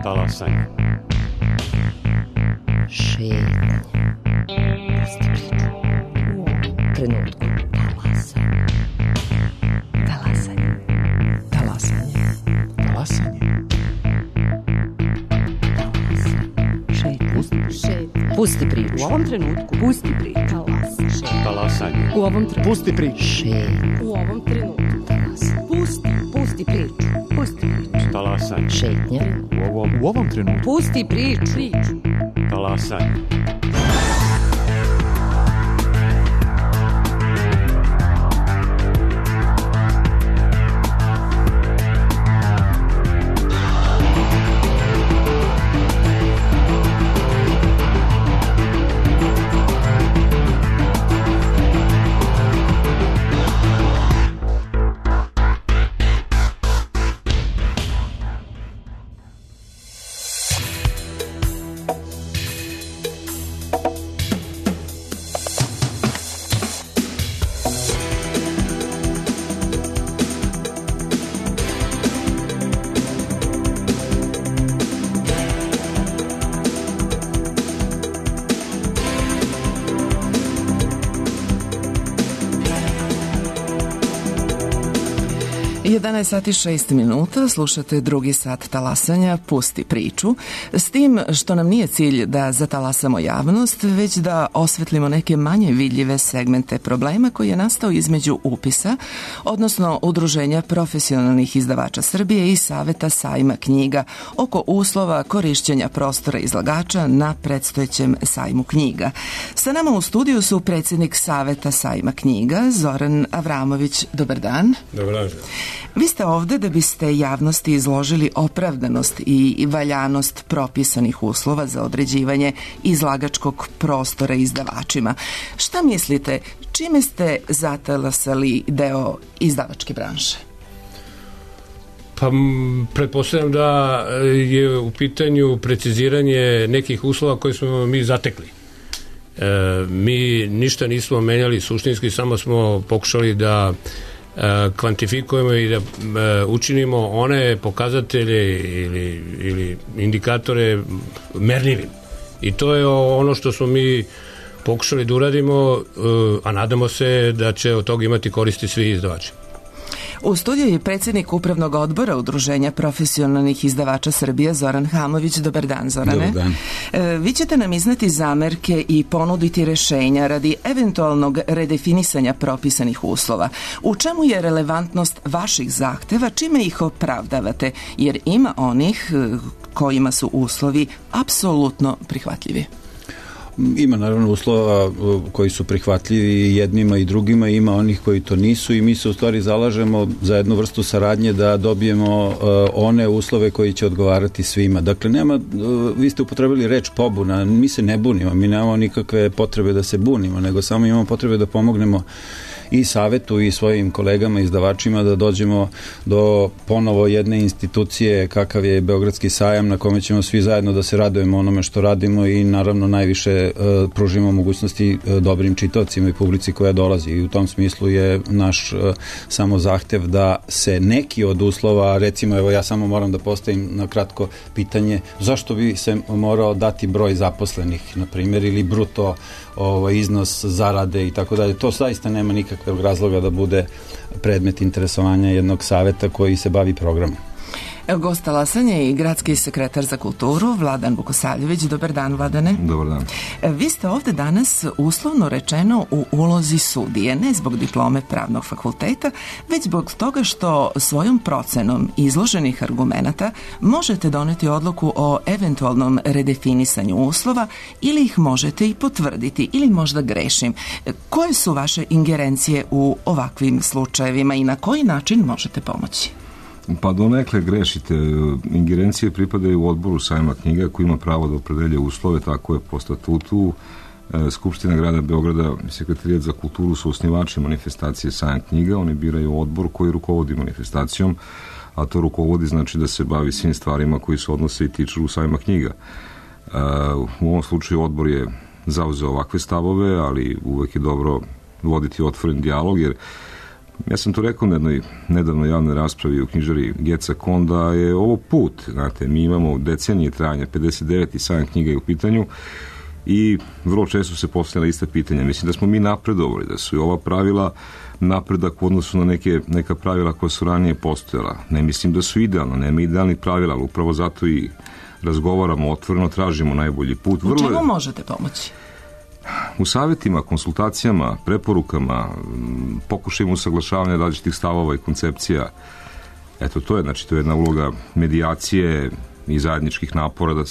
Talasanje. Šetnje. Pusti priču. U ovom trenutku. Talasanje. Talasanje. Talasanje. Talasanje. Pusti priču. U ovom trenutku. Pusti priču. Talasanje. U ovom trenutku. Pusti priču. Šetnje. U ovom trenutku. Pusti priču. Pusti priču. Talasanje. Šetnje. U ovom trenutku. Pusti priču. Talasanje. Sati 6 minuta, slušate drugi sat talasanja Pusti priču, s tim što nam nije cilj da zatalasamo javnost, već da osvetlimo neke manje vidljive segmente problema koji je nastao između upisa, odnosno Udruženja profesionalnih izdavača Srbije i Saveta sajma knjiga oko uslova korišćenja prostora izlagača na predstojećem sajmu knjiga. Sa nama u studiju su predsjednik Saveta sajma knjiga Zoran Avramović. Dobar dan. Dobar dan. Vi ste ovde da biste javnosti izložili opravdanost i valjanost propisanih uslova za određivanje izlagačkog prostora izdavačima. Šta mislite, čime ste zatalasali deo izdavačke branše? Pa pretpostavljam da je u pitanju preciziranje nekih uslova koje smo mi zatekli. Mi ništa nismo menjali suštinski, samo smo pokušali da kvantifikujemo i da učinimo one pokazatelje ili indikatore merljivim. I to je ono što smo mi pokušali da uradimo, a nadamo se da će od toga imati koristi svi izdavači. U studiju je predsjednik Upravnog odbora Udruženja profesionalnih izdavača Srbije Zoran Hamović. Dobar dan, Zorane. Dobar dan. Vi ćete nam izneti zamerke i ponuditi rešenja radi eventualnog redefinisanja propisanih uslova. U čemu je relevantnost vaših zahteva, čime ih opravdavate? Jer ima onih kojima su uslovi apsolutno prihvatljivi. Ima naravno uslova koji su prihvatljivi jednima i drugima, ima onih koji to nisu i mi se u stvari zalažemo za jednu vrstu saradnje da dobijemo one uslove koji će odgovarati svima. Dakle, vi ste upotrebili reč pobuna, mi se ne bunimo, mi nemamo nikakve potrebe da se bunimo, nego samo imamo potrebe da pomognemo i savetu i svojim kolegama izdavačima da dođemo do ponovo jedne institucije kakav je Beogradski sajam na kome ćemo svi zajedno da se radujemo onome što radimo i naravno najviše pružimo mogućnosti dobrim čitaocima i publici koja dolazi i u tom smislu je naš samo zahtev da se neki od uslova, recimo evo ja samo moram da postavim na kratko pitanje zašto bi se morao dati broj zaposlenih na primjer ili bruto iznos zarade i tako dalje. To zaista nema nikakvog razloga da bude predmet interesovanja jednog saveta koji se bavi programom. Gost talasanja je i gradski sekretar za kulturu Vladan Vukosavljević. Dobar dan, Vladane. Dobar dan. Vi ste ovde danas uslovno rečeno u ulozi sudije, ne zbog diplome pravnog fakulteta, već zbog toga što svojom procenom izloženih argumenata možete doneti odluku o eventualnom redefinisanju uslova ili ih možete i potvrditi ili možda grešim. Koje su vaše ingerencije u ovakvim slučajevima i na koji način možete pomoći? Pa donekle grešite. Ingerencije pripadaju u odboru sajma knjiga koji ima pravo da opredelje uslove, tako je po statutu. Skupština grada Beograda i Sekretarijat za kulturu su osnivači manifestacije sajam knjiga. Oni biraju odbor koji rukovodi manifestacijom, a to rukovodi znači da se bavi svim stvarima koji se odnose i tiču sajma knjiga. U ovom slučaju odbor je zauzeo ovakve stavove, ali uvek je dobro voditi otvoren dijalog, jer Ja sam to rekao na jednoj nedavno javnoj raspravi u knjižari Geca Kon, da je ovo put, znate, mi imamo decenije trajanja, 59 i sajam knjiga je u pitanju i vrlo često se postavljala ista pitanja. Mislim da smo mi napredovali, da su i ova pravila napredak u odnosu na neka pravila koja su ranije postojala. Ne mislim da su idealna, nema idealnih pravila, ali upravo zato i razgovaramo otvoreno, tražimo najbolji put. U čemu možete pomoći? U savjetima, konsultacijama, preporukama, pokušajima usaglašavanja različitih stavova i koncepcija. Eto, to je jedna uloga medijacije i zajedničkih napora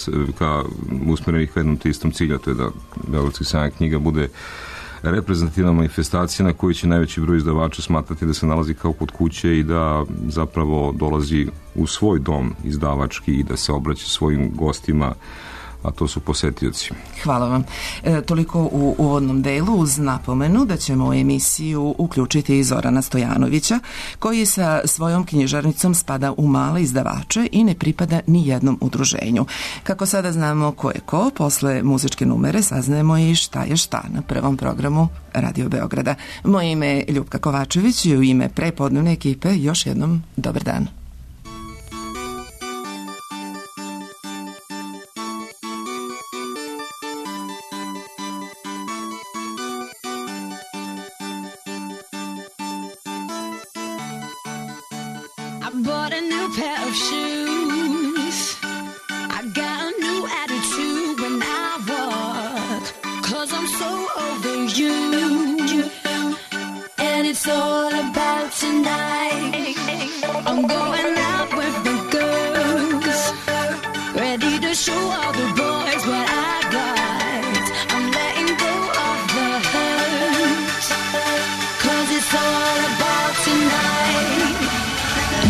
usmerenih ka jednom te istom cilju, to je da Beogradski sajam knjiga bude reprezentativna manifestacija na kojoj će najveći broj izdavača smatrati da se nalazi kao kod kuće i da zapravo dolazi u svoj dom izdavački i da se obraća svojim gostima, a to su posetioci. Hvala vam. Toliko u uvodnom delu, uz napomenu da ćemo u emisiju uključiti i Zorana Stojanovića, koji sa svojom knjižarnicom spada u male izdavače i ne pripada ni jednom udruženju. Kako sada znamo ko je ko, posle muzičke numere saznajemo i šta je šta na prvom programu Radio Beograda. Moje ime je Ljupka Kovačević i u ime prepodnevne ekipe još jednom dobar dan. Bought a new pair of shoes. I got a new attitude when I walk, 'cause I'm so over you. And it's all about tonight. I'm going out with the girls, ready to show all the boys what I got. I'm letting go of the hurt, 'cause it's all about tonight.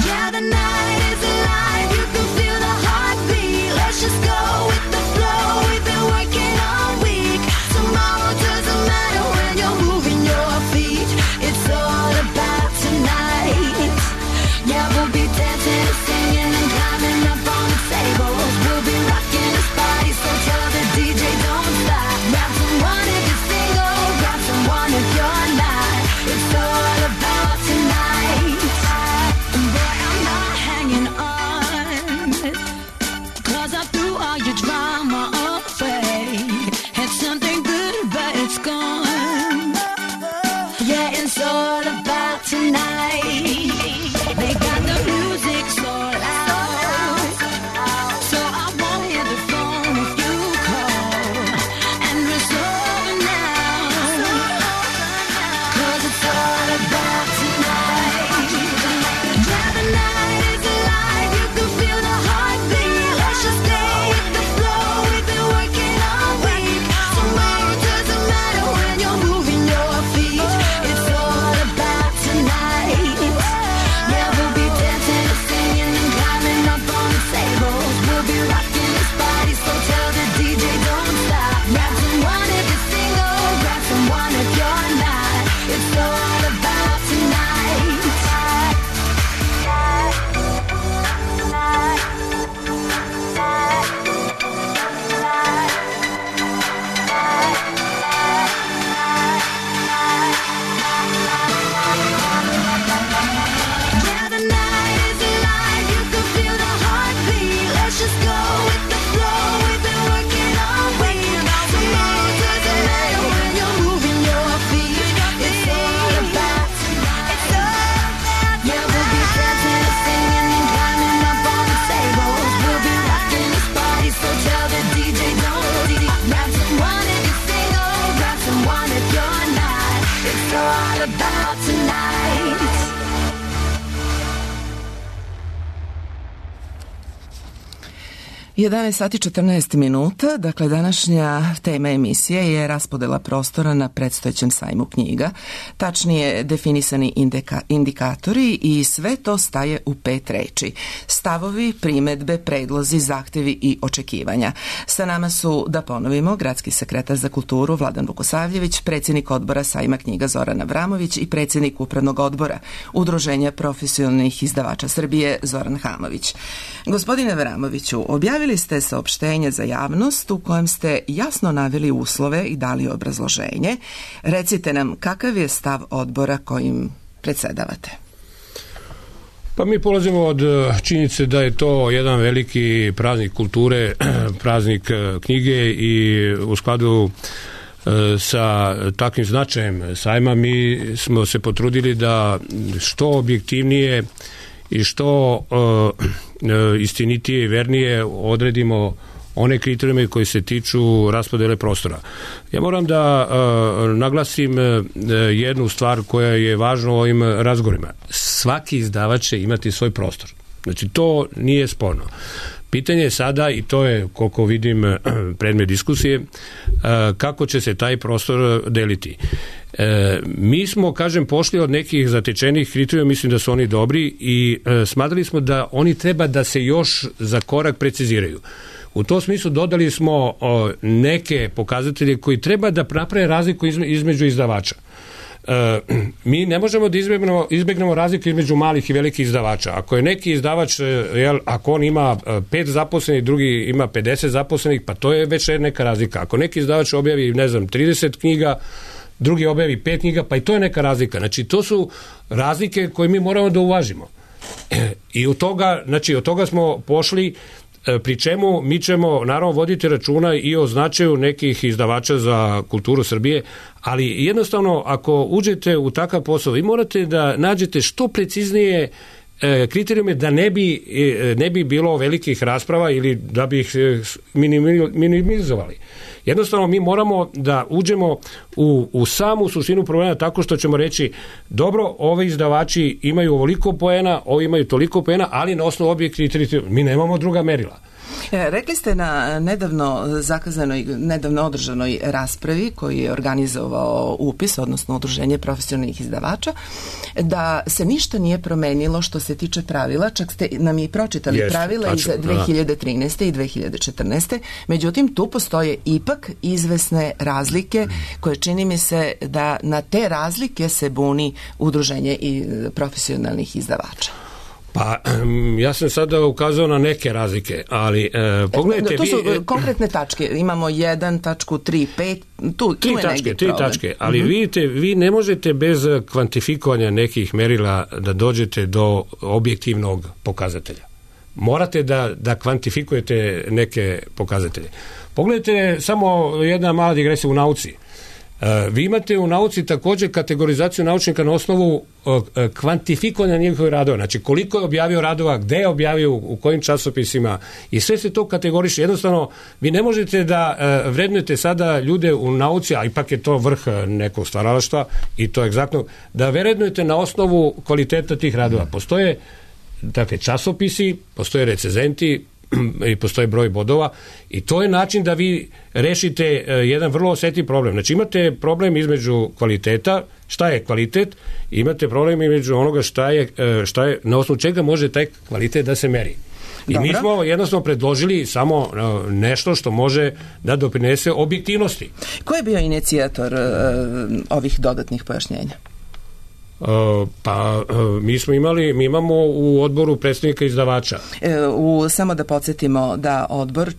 Yeah, the night is alive, you can feel the heartbeat. Let's just go with the flow, we've been working all week. Tomorrow doesn't matter when you're moving your feet. It's all about tonight. Yeah, we'll be dancing and singing and climbing up on the tables. We'll be rocking this party, so tell the DJ don't stop. Grab someone if you're single, grab someone if you're not. It's all about tonight. Boy, I'm not hanging on, 'cause I threw all your drama away. Had something good, but it's gone. Yeah, it's all about tonight. They got the music so loud, so I won't hear the phone if you call. And it's over now, 'cause it's all about tonight. Yeah, the night is alive, you can feel the heartbeat. Let's just stay with the flow, we've been working all week. Tomorrow doesn't matter when you're moving your feet. It's all about tonight. Yeah, we'll be dancing and singing and climbing up on the tables. We'll be rocking this party, so tell the DJ don't stop. Grab someone if you're single, grab someone if you're not. It's all about tonight. Yeah, the night is alive, you can feel the heartbeat. Let's just go with the flow, we've been working all week. Tomorrow doesn't matter when you're moving your feet. It's all about tonight. Yeah, we'll be dancing and singing and climbing up on the tables. We'll be rocking this party, so tell the DJ don't stop. Grab someone if you're single, grab someone if you're not. It's all about tonight. 11 sati 14 minuta, dakle današnja tema emisije je raspodela prostora na predstojećem sajmu knjiga, tačnije definisani indikatori i sve to staje u 5 reči. Stavovi, primedbe, predlozi, zahtevi i očekivanja. Sa nama su, da ponovimo, gradski sekretar za kulturu Vladan Vukosavljević, predsjednik odbora sajma knjiga Zoran Avramović i predsjednik upravnog odbora Udruženja profesionalnih izdavača Srbije Zoran Hamović. Gospodine Avramoviću, objavili ste saopštenje za javnost u kojem ste jasno naveli uslove i dali obrazloženje. Recite nam kakav je stav odbora kojim predsedavate? Pa mi polazimo od činjenice da je to jedan veliki praznik kulture, praznik knjige i u skladu sa takvim značajem sajma mi smo se potrudili da što objektivnije i što istinitije i vernije odredimo one kriterijume koji se tiču raspodele prostora. Ja moram da naglasim jednu stvar koja je važna u ovim razgovorima. Svaki izdavač će imati svoj prostor. Znači, to nije sporno. Pitanje je sada, i to je, koliko vidim, predmet diskusije, kako će se taj prostor deliti. Mi smo, kažem, pošli od nekih zatečenih kriterijuma, mislim da su oni dobri i smatrali smo da oni treba da se još za korak preciziraju. U tom smislu dodali smo neke pokazatelje koji treba da naprave razliku između izdavača. Mi ne možemo da izbegnemo razliku između malih i velikih izdavača. Ako je neki izdavač, ako on ima 5 zaposlenih, drugi ima 50 zaposlenih, pa to je već neka razlika. Ako neki izdavač objavi, 30 knjiga, drugi objavi 5 knjiga, pa i to je neka razlika. Znači, to su razlike koje mi moramo da uvažimo. I od toga smo pošli, pri čemu mi ćemo naravno voditi računa i o značaju nekih izdavača za kulturu Srbije, ali jednostavno ako uđete u takav posao, vi morate da nađete što preciznije kriterijume da ne bi bilo velikih rasprava ili da bi ih minimizovali. Jednostavno mi moramo da uđemo u samu suštinu problema tako što ćemo reći, dobro, ovi izdavači imaju ovoliko poena, ovi imaju toliko poena, ali na osnovu objektivnih kriterijuma mi nemamo druga merila. Rekli ste na nedavno održanoj raspravi koju je organizovao UPIS, odnosno Udruženje profesionalnih izdavača, da se ništa nije promenilo što se tiče pravila, čak ste nam i pročitali pravila iz 2013. i 2014. Međutim, tu postoje ipak izvesne razlike koje čini mi se da na te razlike se buni Udruženje i profesionalnih izdavača. Pa, ja sam sada ukazao na neke razlike, ali pogledajte... To su konkretne tačke, imamo 1.3.5, tu je negdje problem. 3 tačke, ali vidite, vi ne možete bez kvantifikovanja nekih merila da dođete do objektivnog pokazatelja. Morate da kvantifikujete neke pokazatelje. Pogledajte samo jedna mala digresija u nauci. Vi imate u nauci također kategorizaciju naučnika na osnovu kvantifikovanja njihovih radova. Znači koliko je objavio radova, gde je objavio, u kojim časopisima i sve se to kategoriše. Jednostavno, vi ne možete da vrednujete sada ljude u nauci, a ipak je to vrh nekog stvaralaštva i to je egzaktno, da vrednujete na osnovu kvaliteta tih radova. Postoje časopisi, postoje recenzenti, i postoji broj bodova i to je način da vi rešite jedan vrlo osetljiv problem. Znači imate problem između kvaliteta, šta je kvalitet, i imate problem između onoga šta je na osnovu čega može taj kvalitet da se meri. I mi smo jednostavno predložili samo nešto što može da doprinese objektivnosti. Ko je bio inicijator ovih dodatnih pojašnjenja? Mi imamo u odboru predstavnika izdavača. Samo da podsjetimo da odbor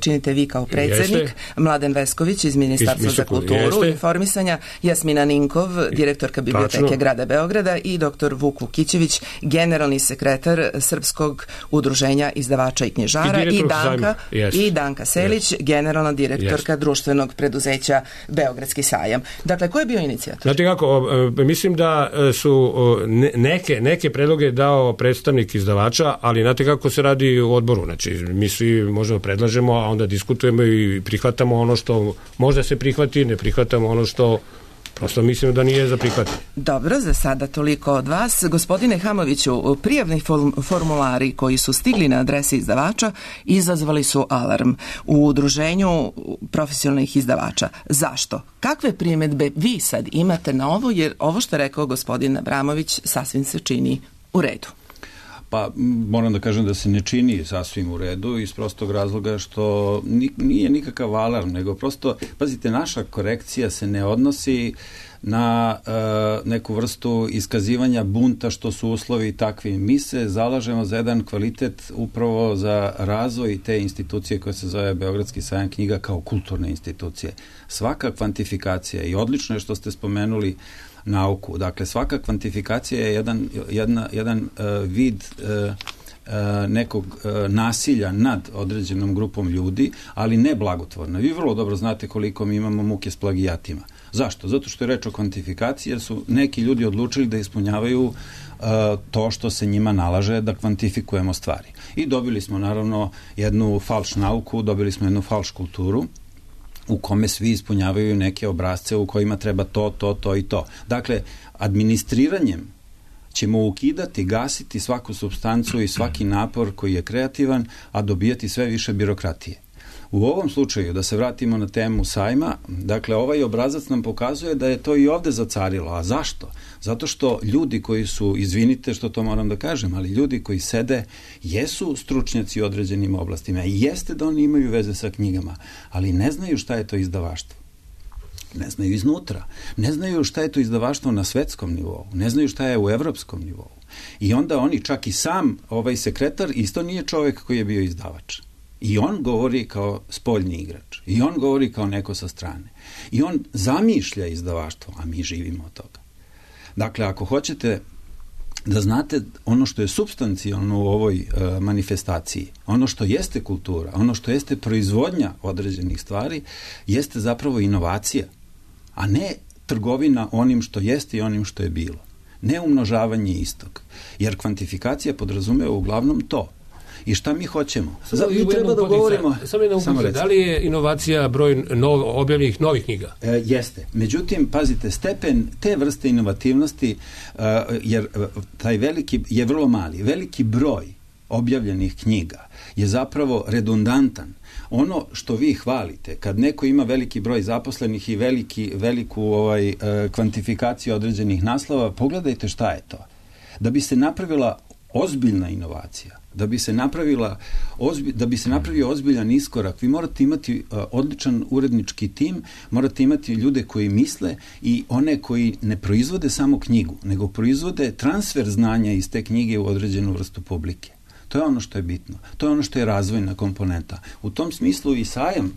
činite vi kao predsjednik, Mladen Vesković iz Ministarstva za kulturu i informisanja, Jasmina Ninkov, direktorka Biblioteke grada Beograda i dr. Vuk Vukićević, generalni sekretar Srpskog udruženja izdavača i knjižara i Danka Selić, generalna direktorka društvenog preduzeća Beogradski sajam. Dakle, ko je bio inicijator? Znate kako, mislim da su neke predloge dao predstavnik izdavača, ali znate kako se radi u odboru. Znači, mi svi možemo predlažemo, a onda diskutujemo i prihvatamo ono što možda se prihvati, ne prihvatamo ono što prosto mislimo da nije za prihvatiti. Dobro, za sada toliko od vas. Gospodine Hamoviću, prijavni formulari koji su stigli na adrese izdavača izazvali su alarm u Udruženju profesionalnih izdavača. Zašto? Kakve primjedbe vi sad imate na ovo, jer ovo što je rekao gospodin Abramović sasvim se čini u redu? Pa moram da kažem da se ne čini sasvim u redu iz prostog razloga što nije nikakav alarm, nego prosto, pazite, naša korekcija se ne odnosi na neku vrstu iskazivanja bunta što su uslovi takvi. Mi se zalažemo za jedan kvalitet upravo za razvoj te institucije koja se zove Beogradski sajam knjiga kao kulturne institucije. Svaka kvantifikacija, i odlično je što ste spomenuli nauku, dakle svaka kvantifikacija je jedan vid nekog nasilja nad određenom grupom ljudi, ali ne blagotvorno. Vi vrlo dobro znate koliko mi imamo muke s plagijatima. Zašto? Zato što je reč o kvantifikaciji, jer su neki ljudi odlučili da ispunjavaju to što se njima nalaže da kvantifikujemo stvari. I dobili smo naravno jednu falš nauku, dobili smo jednu falš kulturu u kome svi ispunjavaju neke obrazce u kojima treba to i to. Dakle, administriranjem ćemo ukidati, gasiti svaku supstancu i svaki napor koji je kreativan, a dobijati sve više birokratije. U ovom slučaju, da se vratimo na temu sajma, dakle, ovaj obrazac nam pokazuje da je to i ovde zacarilo. A zašto? Zato što ljudi koji su, izvinite što to moram da kažem, ali ljudi koji sede jesu stručnjaci u određenim oblastima i jeste da oni imaju veze sa knjigama, ali ne znaju šta je to izdavaštvo. Ne znaju iznutra. Ne znaju šta je to izdavaštvo na svetskom nivou. Ne znaju šta je u evropskom nivou. I onda oni, čak i sam ovaj sekretar, isto nije čovek koji je bio izdavač. I on govori kao spoljni igrač. I on govori kao neko sa strane. I on zamišlja izdavaštvo, a mi živimo od toga. Dakle, ako hoćete da znate ono što je supstancijalno u ovoj manifestaciji, ono što jeste kultura, ono što jeste proizvodnja određenih stvari, jeste zapravo inovacija, a ne trgovina onim što jeste i onim što je bilo. Ne umnožavanje istog. Jer kvantifikacija podrazumeva uglavnom to. I šta mi hoćemo? Mi treba da govorimo... Samo da li je inovacija broj objavljenih novih knjiga? Jeste. Međutim, pazite, stepen te vrste inovativnosti, jer taj veliki je vrlo mali. Veliki broj objavljenih knjiga je zapravo redundantan. Ono što vi hvalite, kad neko ima veliki broj zaposlenih i veliku kvantifikaciju određenih naslova, pogledajte šta je to. Da bi se napravila ozbiljna inovacija, da bi se napravio ozbiljan iskorak, vi morate imati odličan urednički tim, morate imati ljude koji misle i one koji ne proizvode samo knjigu, nego proizvode transfer znanja iz te knjige u određenu vrstu publike. To je ono što je bitno. To je ono što je razvojna komponenta. U tom smislu i sajam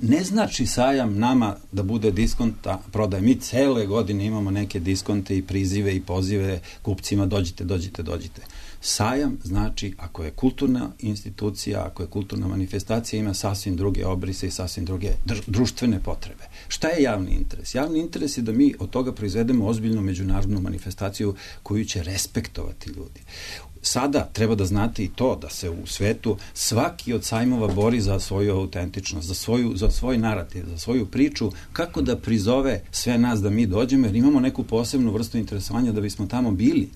ne znači sajam nama da bude diskonta prodaje. Mi cele godine imamo neke diskonte i prizive i pozive kupcima dođite. Sajam znači ako je kulturna institucija, ako je kulturna manifestacija, ima sasvim druge obrise i sasvim druge društvene potrebe. Šta je javni interes? Javni interes je da mi od toga proizvedemo ozbiljnu međunarodnu manifestaciju koju će respektovati ljudi. Sada treba da znate i to da se u svetu svaki od sajmova bori za svoju autentičnost, za svoj narativ, za svoju priču, kako da prizove sve nas da mi dođemo, jer imamo neku posebnu vrstu interesovanja da bismo tamo bili.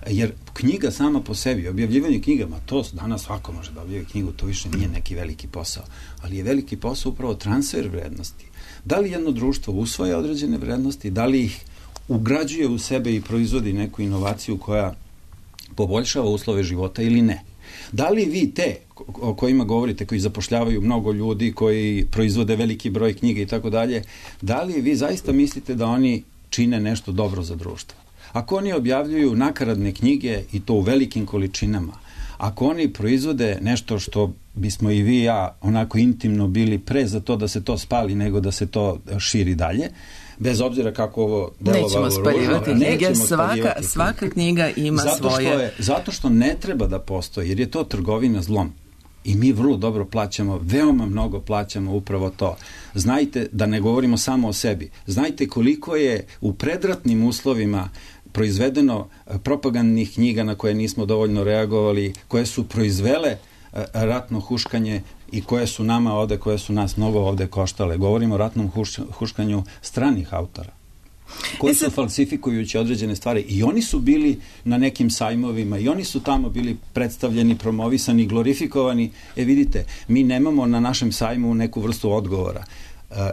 Jer knjiga sama po sebi, objavljivanje knjigama, to danas svako može da objavlja knjigu, to više nije neki veliki posao, ali je veliki posao upravo transfer vrednosti. Da li jedno društvo usvaja određene vrednosti, da li ih ugrađuje u sebe i proizvodi neku inovaciju koja poboljšava uslove života ili ne. Da li vi te o kojima govorite, koji zapošljavaju mnogo ljudi, koji proizvode veliki broj knjiga i tako dalje, da li vi zaista mislite da oni čine nešto dobro za društvo? Ako oni objavljuju nakaradne knjige i to u velikim količinama, ako oni proizvode nešto što bismo i vi i ja onako intimno bili pre za to da se to spali nego da se to širi dalje, bez obzira kako ovo delovalo. Nećemo spaljivati knjige, svaka knjiga ima svoje. Zato što ne treba da postoji, jer je to trgovina zlom. I mi vrlo dobro plaćamo, veoma mnogo plaćamo upravo to. Znajte, da ne govorimo samo o sebi, znajte koliko je u predratnim uslovima proizvedeno propagandnih knjiga na koje nismo dovoljno reagovali, koje su proizvele ratno huškanje i koje su nama ovde, koje su nas mnogo ovde koštale. Govorimo o ratnom huškanju stranih autora, koji su falsifikujući određene stvari. I oni su bili na nekim sajmovima, i oni su tamo bili predstavljeni, promovisani, glorifikovani. Vidite, mi nemamo na našem sajmu neku vrstu odgovora.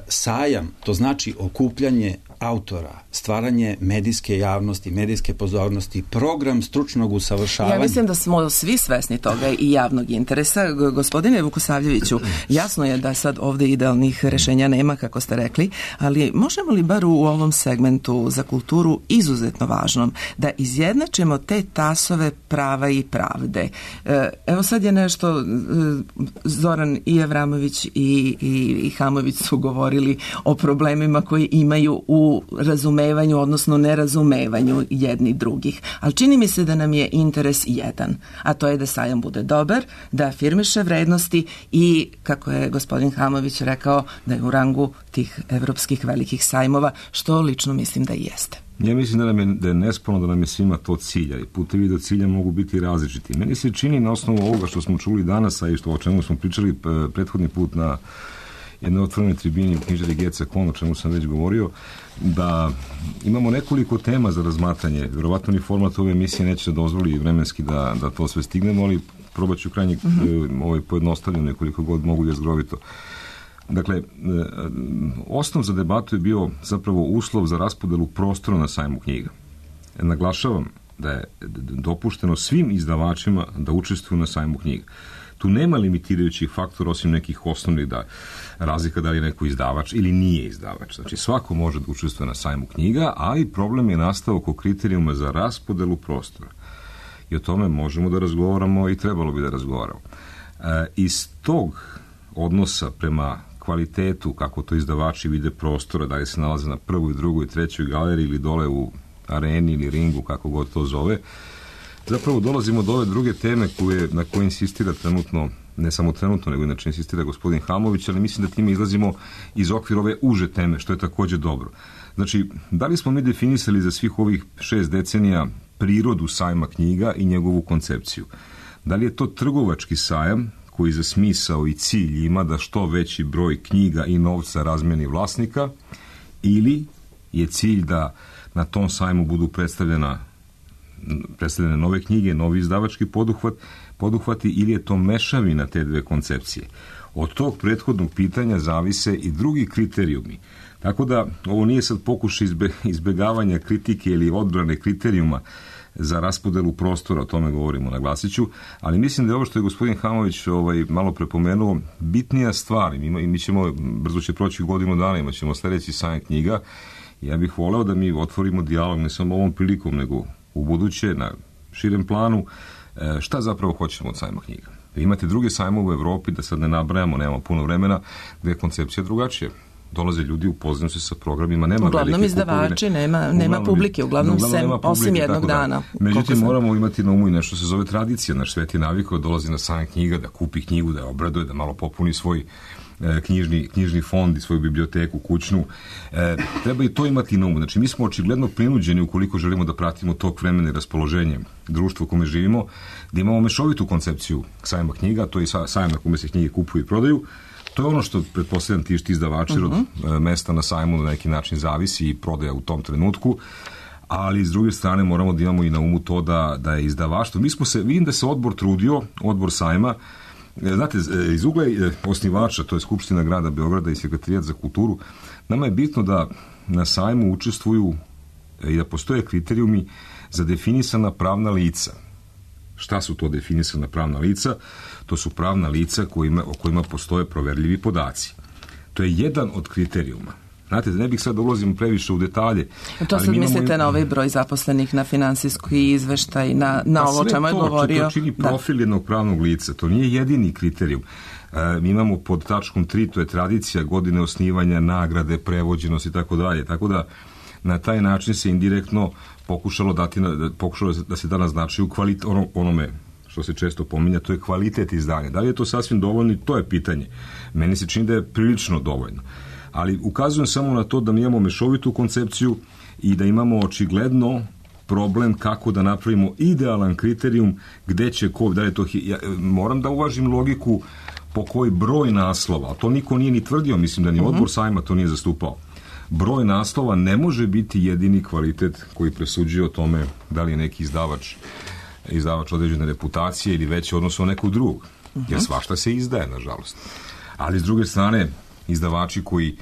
Sajam, to znači okupljanje autora, stvaranje medijske javnosti, medijske pozornosti, program stručnog usavršavanja. Ja mislim da smo svi svesni toga i javnog interesa. Gospodine Vukosavljeviću, jasno je da sad ovde idealnih rešenja nema, kako ste rekli, ali možemo li bar u ovom segmentu za kulturu izuzetno važnom da izjednačimo te tasove prava i pravde? Evo sad je nešto, Zoran i Avramović i Hamović su govorili o problemima koji imaju u razumevanju, odnosno nerazumevanju jedni drugih. Ali čini mi se da nam je interes jedan, a to je da sajam bude dobar, da afirmiše vrednosti i, kako je gospodin Hamović rekao, da je u rangu tih evropskih velikih sajmova, što lično mislim da i jeste. Ja mislim da je nesporno da nam je svima to cilja i putevi do cilja mogu biti različiti. Meni se čini na osnovu ovoga što smo čuli danas, a i o čemu smo pričali prethodni put na jednoj otvorenoj tribini u knjižari Geca Kon, o čemu sam već govorio, da imamo nekoliko tema za razmatranje. Vjerovatno ni format ove emisije neće dozvoli vremenski da to sve stignemo, ali probat ću krajnje pojednostavljeno koliko god mogu jezgrovito. Dakle, osnov za debatu je bio zapravo uslov za raspodelu prostora na sajmu knjiga. Naglašavam da je dopušteno svim izdavačima da učestvuju na sajmu knjiga. Tu nema limitirajućih faktora osim nekih osnovnih razlika da li je neko izdavač ili nije izdavač. Znači, svako može da učestvuje na sajmu knjiga, ali problem je nastao oko kriterijuma za raspodelu prostora. I o tome možemo da razgovaramo i trebalo bi da razgovaramo. Iz tog odnosa prema kvalitetu, kako to izdavači vide prostora, da li se nalaze na prvoj, drugoj, trećoj galeriji ili dole u areni ili ringu, kako god to zove, zapravo dolazimo do ove druge teme na koje insistira trenutno, ne samo trenutno, nego inače insistira gospodin Hamović, ali mislim da time izlazimo iz okvira ove uže teme, što je takođe dobro. Znači, da li smo mi definisali za svih ovih 6 decenija prirodu sajma knjiga i njegovu koncepciju? Da li je to trgovački sajam koji za smisao i cilj ima da što veći broj knjiga i novca razmeni vlasnika, ili je cilj da na tom sajmu budu predstavljene nove knjige, novi izdavački poduhvati, ili je to mešavina te dve koncepcije? Od tog prethodnog pitanja zavise i drugi kriterijumi. Tako da ovo nije sad pokušaj izbegavanja kritike ili odbrane kriterijuma za raspodelu prostora, o tome govorimo, naglasiću, ali mislim da je ovo što je gospodin Hamović malo prepomenuo bitnija stvar i mi ćemo, brzo će proći godinu dana, imat ćemo sljedeći sajam knjiga. Ja bih voleo da mi otvorimo dijalog ne samo ovom prilikom, nego u buduće, na širem planu, šta zapravo hoćemo od sajma knjiga. Imate druge sajmove u Evropi, da sad ne nabrajamo, nemamo puno vremena, gde je koncepcija drugačija. Dolaze ljudi, upoznaju se sa programima, nema uglavnom velike izdavači, nema publike, uglavnom osim jednog dana. Međutim, moramo imati na umu i nešto se zove tradicija. Naš svet je navikao, dolazi na sajam knjiga, da kupi knjigu, da je obraduje, da malo popuni svoj knjižni fond i svoju biblioteku kućnu. Treba i to imati na umu. Znači, mi smo očigledno prinuđeni, ukoliko želimo da pratimo tok vremena i raspoloženje društva u kome živimo, da imamo mešovitu koncepciju sajma knjiga, to je sajam na kome se knjige kupuju i prodaju. To je ono što, pretpostavljam, ti izdavači od mesta na sajmu na neki način zavisi i prodaja u tom trenutku, ali s druge strane moramo da imamo i na umu to da je izdavaštvo. Vidim da se odbor trudio, odbor sajma, znate, iz ugla osnivača, to je Skupština grada Beograda i Sekretarijat za kulturu, nama je bitno da na sajmu učestvuju i da postoje kriterijumi za definisana pravna lica. Šta su to definisana pravna lica? To su pravna lica o kojima postoje proverljivi podaci. To je jedan od kriterijuma. Znate, ne bih sad ulazimo previše u detalje. To sad mislite na ovaj broj zaposlenih, na finansijski izveštaj, na ovo čemu je govorio? To čini profil jednog pravnog lica. To nije jedini kriterijum. Mi imamo pod tačkom 3, to je tradicija, godine osnivanja, nagrade, prevođenost i tako dalje. Tako da na taj način se indirektno pokušalo da se da naznači onome što se često pominja, to je kvalitet izdanja. Da li je to sasvim dovoljno? To je pitanje. Meni se čini da je prilično dovoljno. Ali ukazujem samo na to da mi imamo mešovitu koncepciju i da imamo očigledno problem kako da napravimo idealan kriterijum gde će ko, da li je to... moram da uvažim logiku po koji broj naslova, a to niko nije ni tvrdio, mislim da ni odbor sajma to nije zastupao. Broj naslova ne može biti jedini kvalitet koji presuđuje o tome da li je neki izdavač određene reputacije ili veće odnosno nekog drugog. Jer svašta se izdaje, nažalost. Ali s druge strane, izdavači koji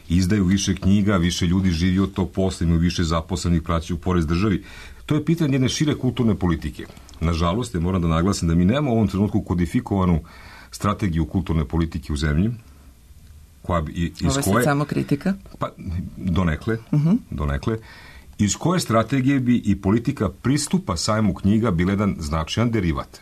izdaju više knjiga, više ljudi živi od tog posla, imaju više zaposlenih, plaćaju porez državi. To je pitanje jedne šire kulturne politike. Nažalost, ja moram da naglasim da mi nemamo u ovom trenutku kodifikovanu strategiju kulturne politike u zemlji. Koja bi, ovo je sad samo kritika? Pa, donekle. Iz koje strategije bi i politika pristupa sajmu knjiga bila jedan značajan derivat.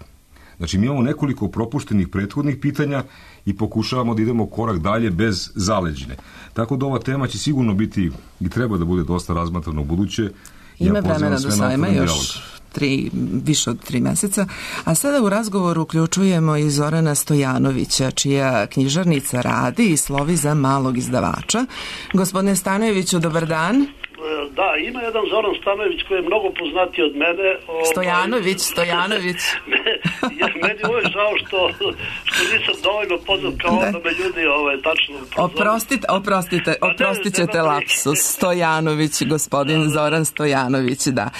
Znači, mi imamo nekoliko propuštenih prethodnih pitanja i pokušavamo da idemo korak dalje bez zaleđine. Tako da ova tema će sigurno biti i treba da bude dosta razmatrana u buduće. Ima vremena do sajma još više od 3 meseca. A sada u razgovoru uključujemo i Zorana Stojanovića, čija knjižarnica radi i slovi za malog izdavača. Gospodine Stanojeviću, dobar dan. Da, ima jedan Zoran Stanojević koji je mnogo poznatiji od mene. Stojanović. Meni je uvijek žao što nisam dovoljno poznat kao onda me ljudi tačno poznat. Oprostit ćete lapsus. Stojanović, gospodin Zoran Stojanović, da.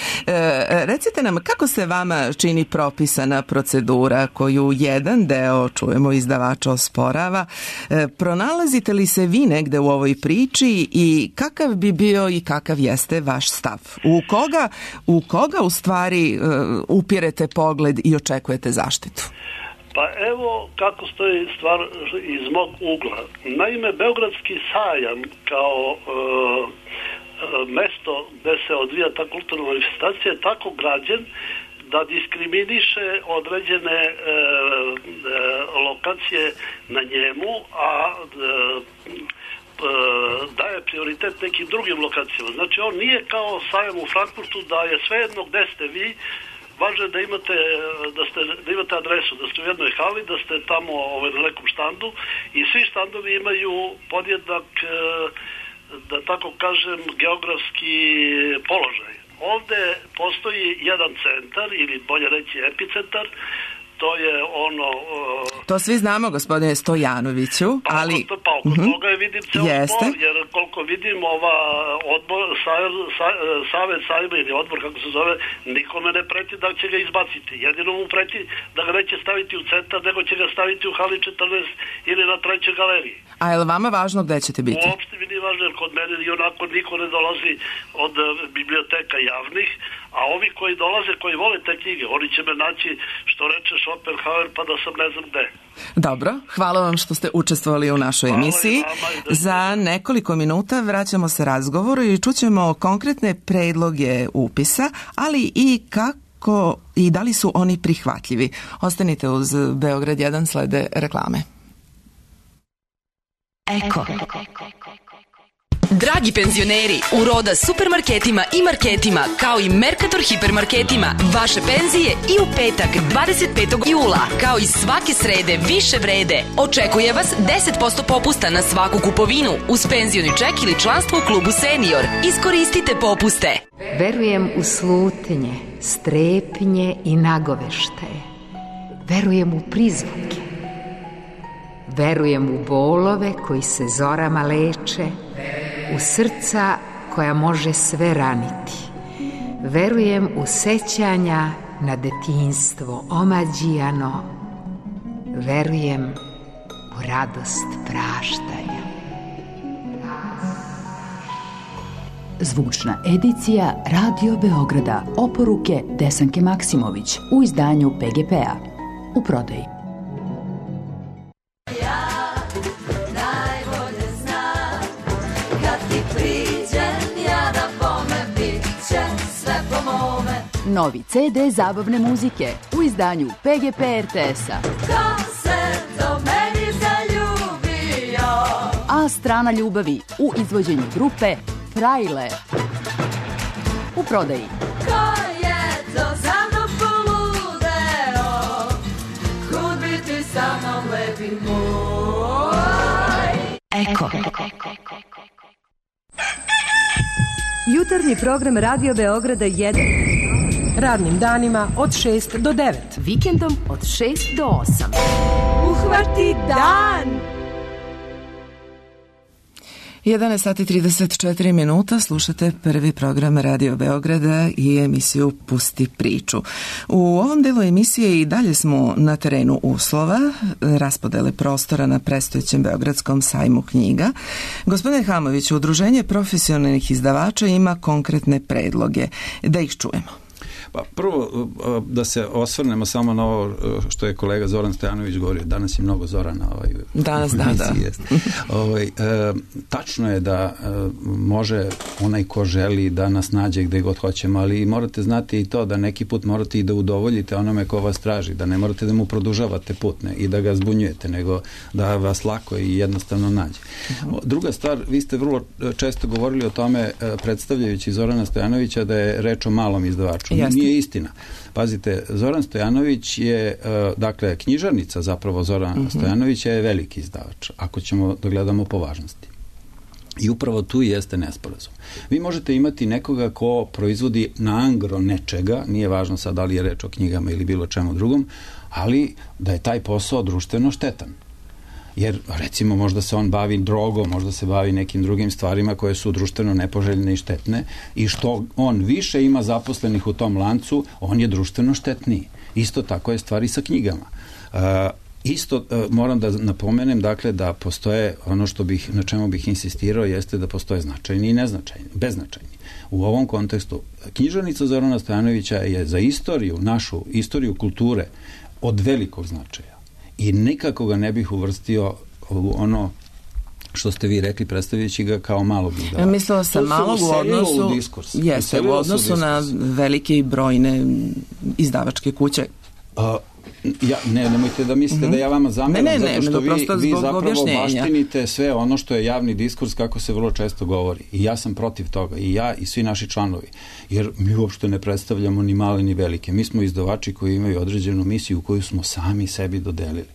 Recite nam, kako se vama čini propisana procedura koju jedan deo, čujemo, izdavača osporava? Pronalazite li se vi negde u ovoj priči i kakav bi bio i kakav jeste vaš stav? U koga u stvari upirete pogled i očekujete zaštitu? Pa evo kako stoji stvar iz mog ugla. Naime, Beogradski sajam kao mesto gde se odvija ta kulturna manifestacija je tako građen da diskriminiše određene lokacije na njemu, a daje prioritet nekim drugim lokacijama. Znači, on nije kao sajam u Frankfurtu da je svejedno gde ste vi, važno je da imate adresu, da ste u jednoj hali, da ste tamo na nekom štandu i svi štandovi imaju podjednak, da tako kažem, geografski položaj. Ovde postoji jedan centar, ili bolje reći epicentar, to je ono... To svi znamo, gospodine Stojanoviću, ali... Pa oko toga je vidim ceo spor, jer koliko vidim Savet sajma ili odbor, kako se zove, nikome ne preti da će ga izbaciti. Jedino mu preti da ga neće staviti u centar, nego će ga staviti u hali 14 ili na 3. galeriji. A je li vama važno gde ćete biti? Uopšte mi nije važno, jer kod mene i onako niko ne dolazi od biblioteka javnih, a ovi koji dolaze, koji vole te knjige, oni će me naći, što reče Schopenhauer, pa da sam ne znam gde. Dobro, hvala vam što ste učestvovali u našoj emisiji. Za nekoliko minuta vraćamo se razgovoru i čućemo konkretne predloge upisa, ali i kako i da li su oni prihvatljivi. Ostanite uz Beograd 1, slede reklame. Eko. Dragi penzioneri, u Roda supermarketima i marketima, kao i Mercator hipermarketima, vaše penzije i u petak 25. jula, kao i svake srede više vrede. Očekuje vas 10% popusta na svaku kupovinu uz penzioni ček ili članstvo u klubu Senior. Iskoristite popuste. Verujem u slutnje, strepnje i nagoveštaje. Verujem u prizvuke. Verujem u bolove koji se zorama leče, u srca koja može sve raniti. Verujem u sećanja na detinjstvo omađijano. Verujem u radost praštanja. Zvučna edicija Radio Beograda. Oporuke Desanke Maksimović u izdanju PGP-a. U prodaji. Novi CD zabavne muzike u izdanju PGP RTS-a. Ko se do meni zaljubio? A strana ljubavi u izvođenju grupe Frajle. U prodaji. Ko je to za mnom poludeo? Kud biti sa mnom lepi moj? Eko. Jutarnji program Radio Beograda 1. Radnim danima od 6 do 9. Vikendom od 6 do 8. Uhvati dan! 11 sati 34 minuta, slušate prvi program Radio Beograda i emisiju Pusti priču. U ovom delu emisije i dalje smo na terenu uslova, raspodele prostora na predstojećem Beogradskom sajmu knjiga. Gospodine Hamoviću, Udruženje profesionalnih izdavača ima konkretne predloge. Da ih čujemo. Pa prvo da se osvrnemo samo na ovo što je kolega Zoran Stojanović govorio. Danas je mnogo Zorana. Danas, da. Tačno je da može onaj ko želi da nas nađe gde god hoćemo, ali morate znati i to da neki put morate i da udovoljite onome ko vas traži, da ne morate da mu produžavate put i da ga zbunjujete, nego da vas lako i jednostavno nađe. Druga stvar, vi ste vrlo često govorili o tome predstavljajući Zorana Stojanovića da je reč o malom izdavaču. Nije istina. Pazite, Zoran Stojanović je, dakle, knjižarnica zapravo Zorana Stojanovića je veliki izdavač, ako ćemo da gledamo po važnosti. I upravo tu jeste nesporazum. Vi možete imati nekoga ko proizvodi na angro nečega, nije važno sad da li je reč o knjigama ili bilo čemu drugom, ali da je taj posao društveno štetan. Jer, recimo, možda se on bavi drogom, možda se bavi nekim drugim stvarima koje su društveno nepoželjne i štetne i što on više ima zaposlenih u tom lancu, on je društveno štetniji. Isto tako je stvari sa knjigama. Isto moram da napomenem, dakle, da postoje ono što na čemu bih insistirao jeste da postoje značajni i neznačajni, beznačajni. U ovom kontekstu knjižarnica Zorana Stojanovića je za istoriju, našu istoriju kulture od velikog značaja. I nikako ga ne bih uvrstio u ono što ste vi rekli, predstavljajući ga kao malog izdavača. Mislila sam malog u odnosu na velike i brojne izdavačke kuće. Nemojte da mislite da ja vama zameram, zato što vi zapravo baštinite sve ono što je javni diskurs, kako se vrlo često govori. I ja sam protiv toga, i ja i svi naši članovi. Jer mi uopšte ne predstavljamo ni male ni velike. Mi smo izdavači koji imaju određenu misiju koju smo sami sebi dodelili.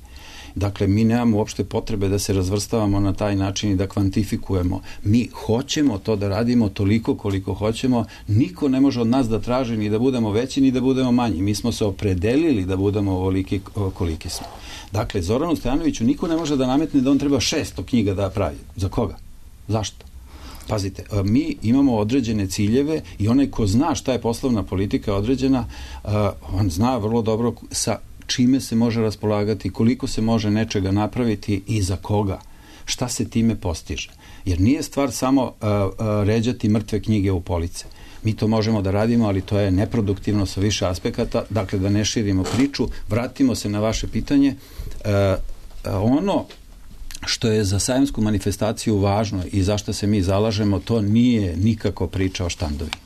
Dakle, mi nemamo uopšte potrebe da se razvrstavamo na taj način i da kvantifikujemo. Mi hoćemo to da radimo toliko koliko hoćemo. Niko ne može od nas da traži ni da budemo veći ni da budemo manji. Mi smo se opredelili da budemo ovoliki koliki smo. Dakle, Zoranu Stojanoviću niko ne može da nametne da on treba 600 knjiga da pravi. Za koga? Zašto? Pazite, mi imamo određene ciljeve i onaj ko zna šta je poslovna politika određena, on zna vrlo dobro sa čime se može raspolagati, koliko se može nečega napraviti i za koga, šta se time postiže. Jer nije stvar samo ređati mrtve knjige u police. Mi to možemo da radimo, ali to je neproduktivno sa više aspekata, dakle da ne širimo priču. Vratimo se na vaše pitanje. Ono što je za sajamsku manifestaciju važno i zašto se mi zalažemo, to nije nikako priča o štandovima.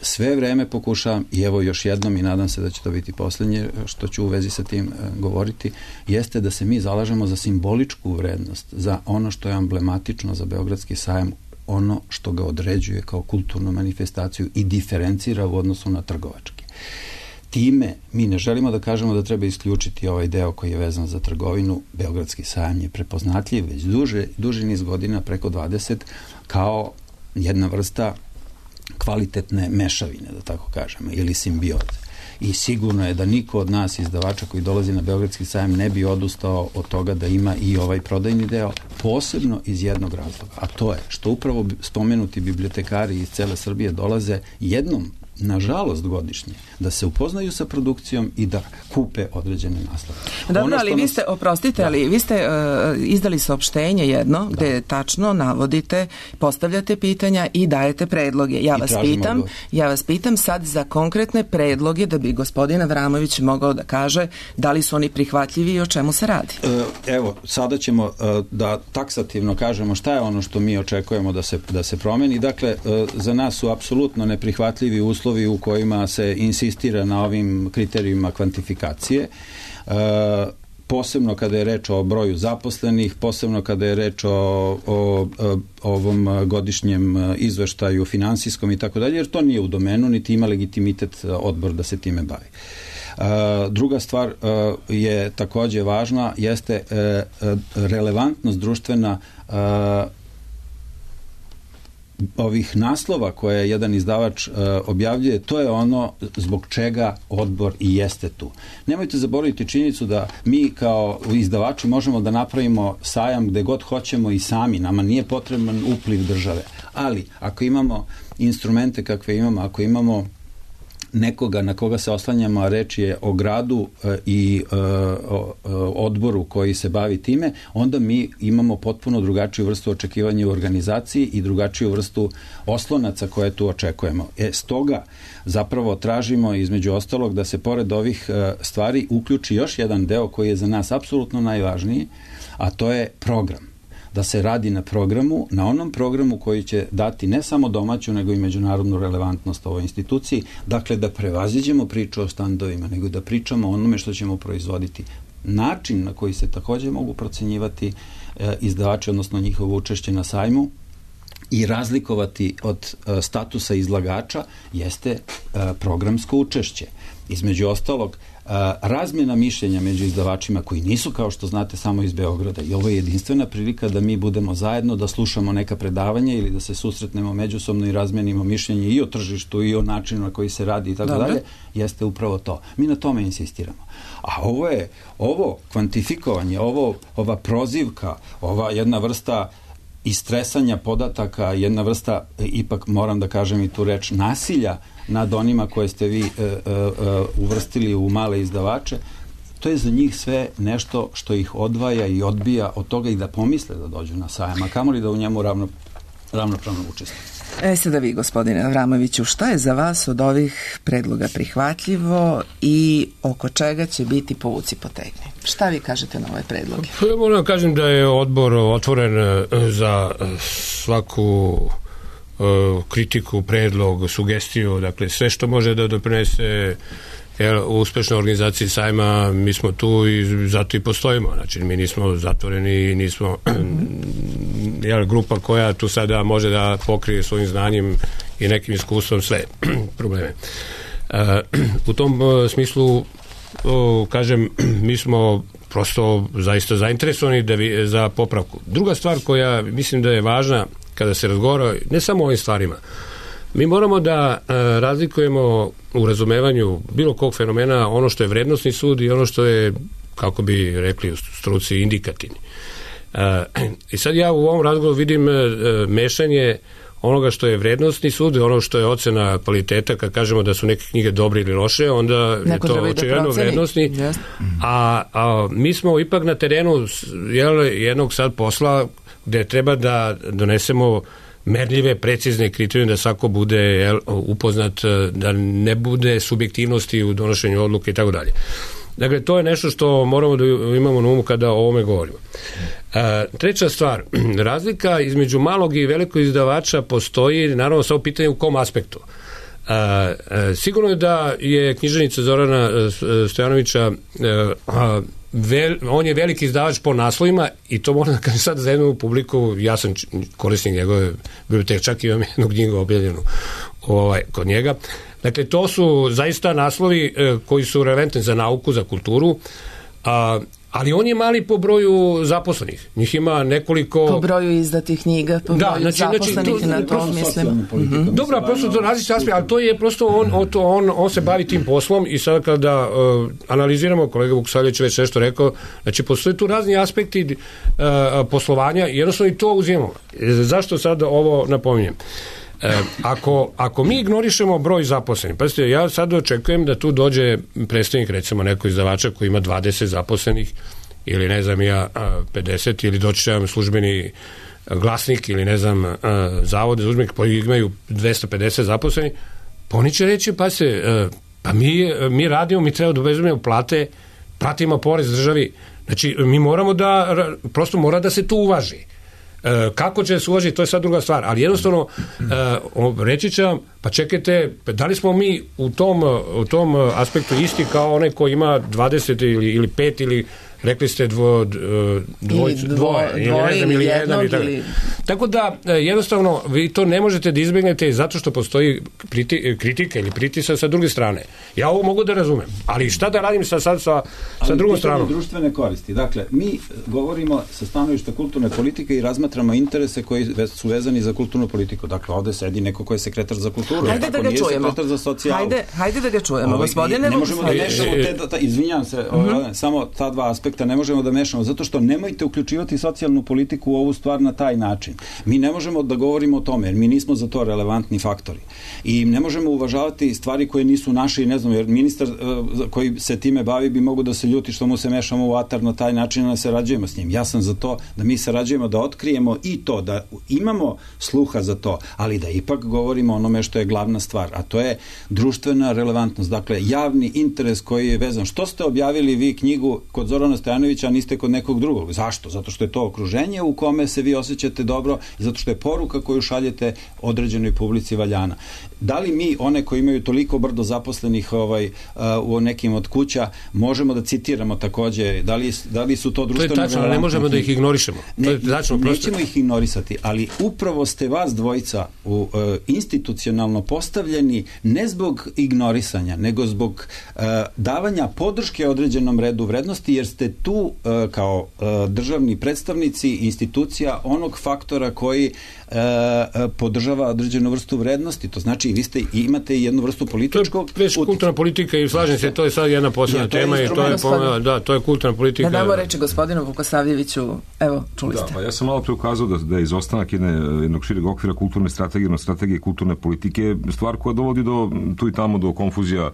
Sve vreme pokušavam, i evo još jednom i nadam se da će to biti poslednje što ću u vezi sa tim govoriti, jeste da se mi zalažemo za simboličku vrednost, za ono što je emblematično za Beogradski sajam, ono što ga određuje kao kulturnu manifestaciju i diferencira u odnosu na trgovački. Time mi ne želimo da kažemo da treba isključiti ovaj deo koji je vezan za trgovinu. Beogradski sajam je prepoznatljiv već duži niz godina, preko 20, kao jedna vrsta kvalitetne mešavine, da tako kažemo, ili simbioze. I sigurno je da niko od nas izdavača koji dolazi na Beogradski sajam ne bi odustao od toga da ima i ovaj prodajni deo, posebno iz jednog razloga, a to je što upravo spomenuti bibliotekari iz cele Srbije dolaze jednom, nažalost godišnje, da se upoznaju sa produkcijom i da kupe određene naslove. Dobro, ali vi ste, oprostite, ali vi ste izdali saopštenje jedno gde tačno navodite, postavljate pitanja i dajete predloge. Ja vas pitam sad za konkretne predloge da bi gospodin Avramović mogao da kaže da li su oni prihvatljivi i o čemu se radi. Evo, sada ćemo da taksativno kažemo šta je ono što mi očekujemo da se promeni. Dakle, za nas su apsolutno neprihvatljivi uslovi u kojima se insistira na ovim kriterijima kvantifikacije, posebno kada je reč o broju zaposlenih, posebno kada je reč o ovom godišnjem izveštaju finansijskom i tako dalje, jer to nije u domenu, niti ima legitimitet odbor da se time bavi. Druga stvar je takođe važna, jeste ovih naslova koje jedan izdavač objavljuje, to je ono zbog čega odbor i jeste tu. Nemojte zaboraviti činjenicu da mi kao izdavači možemo da napravimo sajam gde god hoćemo i sami, nama nije potreban upliv države, ali ako imamo instrumente kakve imamo, ako imamo nekoga na koga se oslanjamo, a reč je o gradu i odboru koji se bavi time, onda mi imamo potpuno drugačiju vrstu očekivanja u organizaciji i drugačiju vrstu oslonaca koje tu očekujemo. Stoga zapravo tražimo između ostalog da se pored ovih stvari uključi još jedan deo koji je za nas apsolutno najvažniji, a to je program. Da se radi na programu, na onom programu koji će dati ne samo domaću, nego i međunarodnu relevantnost ovoj instituciji. Dakle, da prevaziđemo priču o standovima, nego da pričamo o onome što ćemo proizvoditi. Način na koji se također mogu procenjivati izdavači, odnosno njihovo učešće na sajmu i razlikovati od statusa izlagača jeste programsko učešće. Između ostalog, razmjena mišljenja među izdavačima koji nisu, kao što znate, samo iz Beograda, i ovo je jedinstvena prilika da mi budemo zajedno, da slušamo neka predavanja ili da se susretnemo međusobno i razmenimo mišljenje i o tržištu i o načinu na koji se radi i tako dalje, jeste upravo to. Mi na tome insistiramo. A ovo kvantifikovanje, ova prozivka, ova jedna vrsta istresanja podataka, jedna vrsta, ipak moram da kažem i tu reč, nasilja nad onima koje ste vi uvrstili u male izdavače, to je za njih sve nešto što ih odvaja i odbija od toga i da pomisle da dođu na sajam, a kamoli da u njemu ravnopravno učestvuju. Sada vi, gospodine Avramoviću, šta je za vas od ovih predloga prihvatljivo i oko čega će biti povuci potegni? Šta vi kažete na ove predloge? Ja moram da kažem da je odbor otvoren za svaku kritiku, predlog, sugestiju, dakle sve što može da doprinese u uspešnoj organizaciji sajma, mi smo tu i zato i postojimo. Znači, mi nismo zatvoreni, nismo grupa koja tu sada može da pokrije svojim znanjem i nekim iskustvom sve probleme. U tom smislu, kažem, mi smo prosto zaista zainteresovani za popravku. Druga stvar koja mislim da je važna kada se razgovara, ne samo o ovim stvarima, mi moramo da razlikujemo u razumevanju bilo kog fenomena ono što je vrednosni sud i ono što je, kako bi rekli u struci, indikativni. I sad ja u ovom razgovoru vidim mešanje onoga što je vrednosni sud i ono što je ocena kvaliteta. Kad kažemo da su neke knjige dobre ili loše, onda neko je to očigledno vrednosni. Yes. A mi smo ipak na terenu jednog sad posla gde treba da donesemo merljive, precizne kriterijume, da svako bude upoznat, da ne bude subjektivnosti u donošenju odluke i tako dalje. Dakle, to je nešto što moramo da imamo na umu kada o ovome govorimo. Treća stvar, razlika između malog i velikog izdavača postoji, naravno, samo pitanje u kom aspektu. Sigurno je da je književnica Zorana Stojanovića on je veliki izdavač po naslovima i to moram da kažem sad za jednu publiku, ja sam korisnik njegove biblioteke, čak imam jednu knjigu objavljenu kod njega. Dakle, to su zaista naslovi koji su relevantni za nauku, za kulturu, ali on je mali po broju zaposlenih. Njih ima nekoliko... Po broju izdatih knjiga, po broju zaposlenih, na to mislim. Dobro, prosto to različite aspekte, ali to je prosto on se bavi tim poslom i sada kada analiziramo, kolega Vukosavljević već nešto rekao, znači postoje tu razni aspekti poslovanja i jednostavno i to uzimamo. Zašto sad ovo napominjem? Ako mi ignorišemo broj zaposlenih, pazite, ja sad očekujem da tu dođe predstavnik, recimo neko izdavača koji ima 20 zaposlenih ili ne znam ja 50 ili doći će službeni glasnik ili ne znam zavode za udžbenike koji imaju 250 zaposlenih, pa oni će reći pa mi radimo, mi treba da obezbedimo plate, platimo porez državi, znači mi moramo da, prosto mora da se tu uvaži. Kako će se uvažiti, to je sad druga stvar, ali jednostavno reći će vam, pa čekajte, da li smo mi u tom aspektu isti kao onaj koji ima 20 ili 5 ili Rekli ste dvoje ili jedan. Tako da, jednostavno, vi to ne možete da izbegnete zato što postoji kritika ili pritisak sa druge strane. Ja ovo mogu da razumem, ali šta da radim sad sa drugom stranom? Društvene koristi. Dakle, mi govorimo sa stanovišta kulturne politike i razmatramo interese koji su vezani za kulturnu politiku. Dakle, ovde sedi neko ko je sekretar za kulturu. Hajde da ga čujemo. Hajde da ga čujemo, gospodine. Ne možemo da mešamo izvinjam se, samo ta dva aspekta ne možemo da mešamo, zato što nemojte uključivati socijalnu politiku u ovu stvar na taj način. Mi ne možemo da govorimo o tome, jer mi nismo za to relevantni faktori. I ne možemo uvažavati stvari koje nisu naše i ne znam, jer ministar koji se time bavi bi mogo da se ljuti što mu se mešamo u atar na taj način, da sarađujemo s njim. Ja sam za to da mi sarađujemo, da otkrijemo i to, da imamo sluha za to, ali da ipak govorimo onome što je glavna stvar, a to je društvena relevantnost. Dakle, javni interes koji je vezan. Što ste objavili vi knjigu kod Zorana Stojanovića, a niste kod nekog drugog? Zašto? Zato što je to okruženje u kome se vi osjećate dobro i zato što je poruka koju šaljete određenoj publici valjana. Da li mi, one koji imaju toliko brdo zaposlenih u nekim od kuća, možemo da citiramo takođe, da li su to društveno... To je tačno, ne možemo da ih ignorišemo. Nećemo ih ignorisati, ali upravo ste vas dvojica institucionalno postavljeni ne zbog ignorisanja, nego zbog davanja podrške određenom redu vrednosti, jer ste tu kao državni predstavnici institucija onog faktora koji podržava određenu vrstu vrednosti. To znači vi imate jednu vrstu političkog... To je već kulturna politika i slažem se, to je sad jedna posebna tema i to je kulturna politika. Da damo reći gospodinu Vukosavljeviću, evo, čuli ste. Ja sam malo pre ukazao da je izostanak jednog šireg okvira kulturne strategije kulturne politike stvar koja dovodi tu i tamo do konfuzija,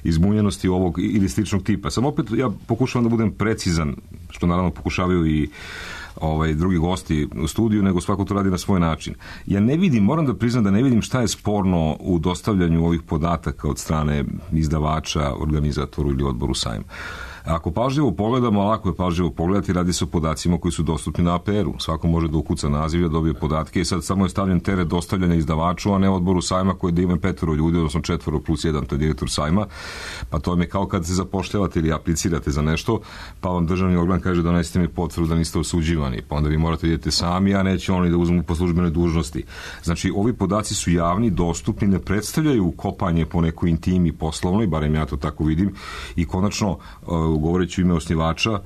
izbunjenosti ovog ili sličnog tipa. Sam opet, ja pokušavam da budem precizan, što naravno pokušavaju i drugi gosti u studiju, nego svako to radi na svoj način. Ja ne vidim, moram da priznam da ne vidim šta je sporno u dostavljanju ovih podataka od strane izdavača, organizatoru ili odboru sajma. Ako pažljivo pogledamo, lako je pažljivo pogledati, radi se o podacima koji su dostupni na APR-u. Svako može da ukuca naziv, da dobije podatke i sad samo je stavljen teret dostavljanja izdavaču, a ne odboru sajma koji da ima 5 ljudi, odnosno 4 plus 1, to je direktor sajma. Pa to je kao kad se zapošljavate ili aplicirate za nešto, pa vam državni organ kaže donesite mi potvrdu da niste osuđivani, pa onda vi morate idete sami, a neće oni da uzmu po službenoj dužnosti. Znači, ovi podaci su javni, dostupni, ne predstavljaju kopanje po nekoj intimi poslovnoj, barem ja to tako vidim, i konačno govoreći u ime osnivača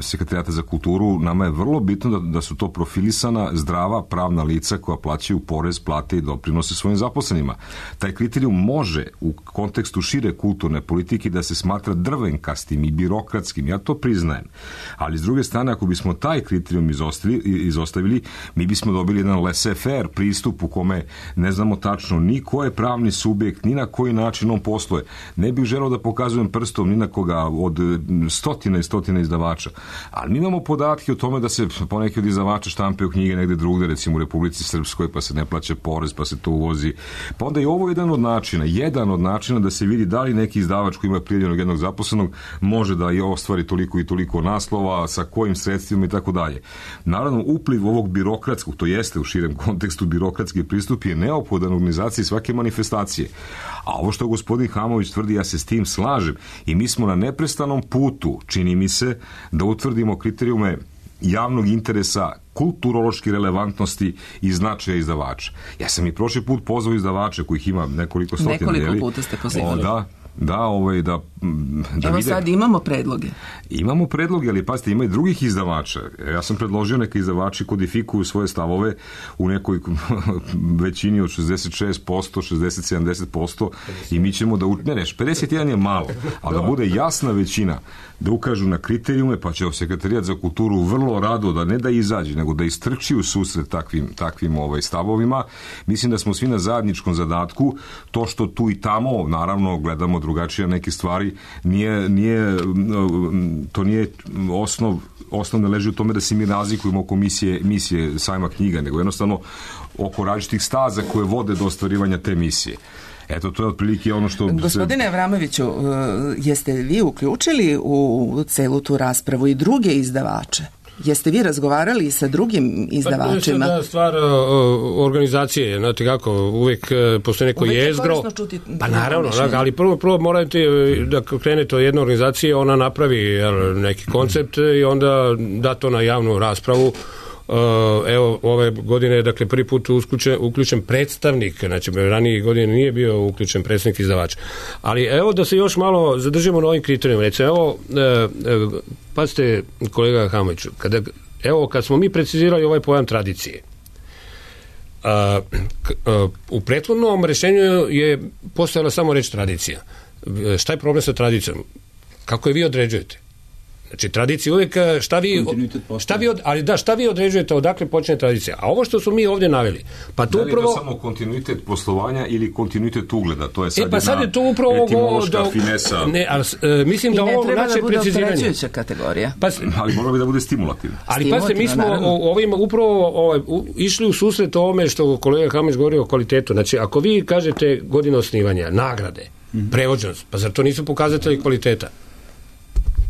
Sekretarijata za kulturu, nama je vrlo bitno da su to profilisana, zdrava, pravna lica koja plaćaju porez, plate i doprinose svojim zaposlenima. Taj kriterijum može u kontekstu šire kulturne politike da se smatra drvenkastim i birokratskim, ja to priznajem. Ali s druge strane, ako bismo taj kriterijum izostavili, mi bismo dobili jedan laissez-faire pristup u kome ne znamo tačno ni ko je pravni subjekt, ni na koji način on posluje. Ne bih želeo da pokazujem prstom ni na koga od stotina i stotina izdavača. Ali mi imamo podatke o tome da se poneki od izdavača štampaju knjige negde drugde, recimo u Republici Srpskoj, pa se ne plaća porez, pa se to uvozi. Pa onda je ovo jedan od načina da se vidi da li neki izdavač koji ima prijavljenog jednog zaposlenog može da je ostvari toliko i toliko naslova, sa kojim sredstvima i tako dalje. Naravno, upliv ovog birokratskog, to jeste u širem kontekstu birokratski pristup, je neophodan u organizaciji svake manifestacije. A ovo što gospodin Hamović tvrdi, ja se s tim slažem i mi smo na neprestanom putu, čini mi se, da utvrdimo kriterijume javnog interesa, kulturološke relevantnosti i značaja izdavača. Ja sam i prošli put pozvao izdavače kojih ima nekoliko stotina. Nekoliko puta ste pozivali. Da evo sad imamo predloge. Imamo predloge, ali pazite, ima i drugih izdavača. Ja sam predložio neke izdavači kodifikuju svoje stavove u nekoj većini od 66%, 60-70% i mi ćemo da 51 je malo, ali da bude jasna većina, da ukažu na kriterijume, pa će Sekretarijat za kulturu vrlo rado da ne da izađe, nego da istrči u susret takvim stavovima. Mislim da smo svi na zajedničkom zadatku. To što tu i tamo, naravno, gledamo drugačije neke stvari, to nije osnov ne leži u tome da se mi razlikujemo oko misije sajma knjiga, nego jednostavno oko različitih staza koje vode do ostvarivanja te misije. Eto, to je otprilike ono što... Gospodine Avramoviću, jeste vi uključili u celu tu raspravu i druge izdavače? Jeste vi razgovarali sa drugim izdavačima? Pa, stvar organizacije, znate kako, uvijek postoji neko jezgro. Pa naravno, ali prvo morate da krenete od jedne organizacije, ona napravi neki koncept i onda da to na javnu raspravu. Evo, ove godine je dakle prvi put uključen predstavnik, znači ranije godine nije bio uključen predstavnik izdavača. Ali evo da se još malo zadržimo na ovim kriterijima. Recimo, evo, pazite kolega Hamoviću, kad smo mi precizirali ovaj pojam tradicije, u prethodnom rešenju je postojala samo reč tradicija. Šta je problem sa tradicijom? Kako je vi određujete? Znači, tradicija uvijek, šta vi određujete, odakle počne tradicija? A ovo što su mi ovdje naveli, pa tu upravo... Da li je to samo kontinuitet poslovanja ili kontinuitet ugleda? To je sad je to upravo etimološka finesa. Ne, ali mislim da ovo naše preciziranje... I ne treba da bude opterećujuća kategorija. Ali mora bi da bude stimulativno. Ali pazite, mi smo upravo išli u susret ovome što kolega Hamović govori o kvalitetu. Znači, ako vi kažete godina osnivanja, nagrade, prevođenost, pa zar to nisu pokazatelji kvaliteta?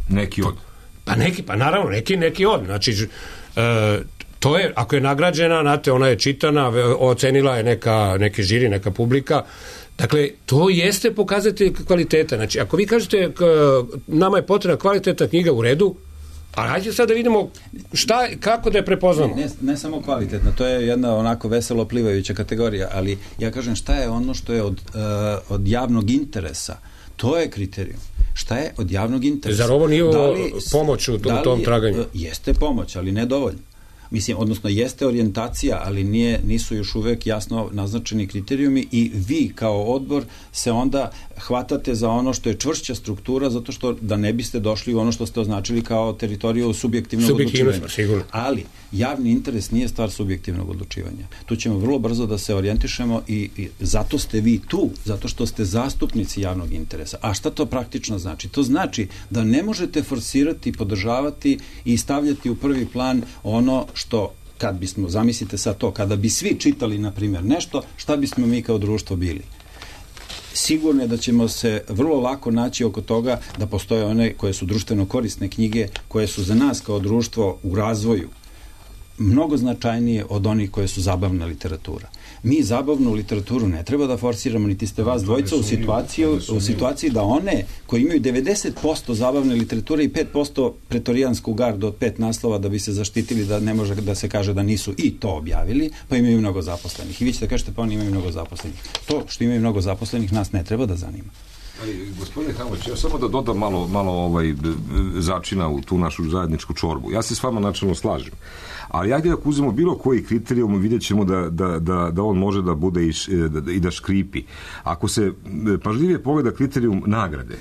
Neki od. Pa naravno, neki od. Znači, to je, ako je nagrađena, znate, ona je čitana, ocenila je neki žiri, neka publika. Dakle, to jeste pokazatelj kvaliteta. Znači, ako vi kažete nama je potrebna kvalitetna knjiga, u redu, ali hajde sad da vidimo kako da je prepoznamo. Ne samo kvalitetna, to je jedna onako veselo plivajuća kategorija, ali ja kažem šta je ono što je od javnog interesa. To je kriterijum. Šta je od javnog interesa? Zar ovo nije pomoć u tom traganju? Jeste pomoć, ali ne dovoljno. Mislim, odnosno jeste orijentacija, ali nisu još uvek jasno naznačeni kriterijumi i vi kao odbor se onda hvatate za ono što je čvršća struktura, zato što da ne biste došli u ono što ste označili kao teritoriju subjektivnog odlučivanja. Sigurno. Ali javni interes nije stvar subjektivnog odlučivanja. Tu ćemo vrlo brzo da se orijentišemo i zato ste vi tu, zato što ste zastupnici javnog interesa. A šta to praktično znači? To znači da ne možete forsirati, podržavati i stavljati u prvi plan ono što, kad bismo, zamislite sad to, kada bi svi čitali, na primjer, nešto, šta bismo mi kao društvo bili? Sigurno je da ćemo se vrlo lako naći oko toga da postoje one koje su društveno korisne knjige, koje su za nas kao društvo u razvoju mnogo značajnije od onih koje su zabavna literatura. Mi zabavnu literaturu ne treba da forsiramo, niti ste vas dvojica u situaciji da one koji imaju 90% zabavne literature i 5% pretorijansku gardu od 5 naslova da bi se zaštitili da ne može da se kaže da nisu i to objavili, pa imaju mnogo zaposlenih. I vi ćete kažete pa oni imaju mnogo zaposlenih. To što imaju mnogo zaposlenih nas ne treba da zanima. Ali, gospodine Hamović, ja samo da dodam malo začina u tu našu zajedničku čorbu. Ja se s vama načelno slažem. Ali ajde ako uzmemo bilo koji kriterijum, vidjet ćemo da on može da bude i da škripi. Ako se pažljivije pogleda kriterijum nagrade,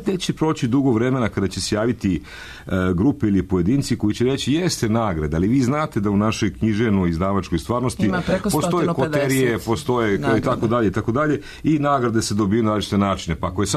neće proći dugo vremena kada će se javiti grupe ili pojedinci koji će reći jeste nagrada, ali vi znate da u našoj književnoj izdavačkoj stvarnosti postoje koterije, postoje i tako dalje i nagrade se dobiju na različite načine,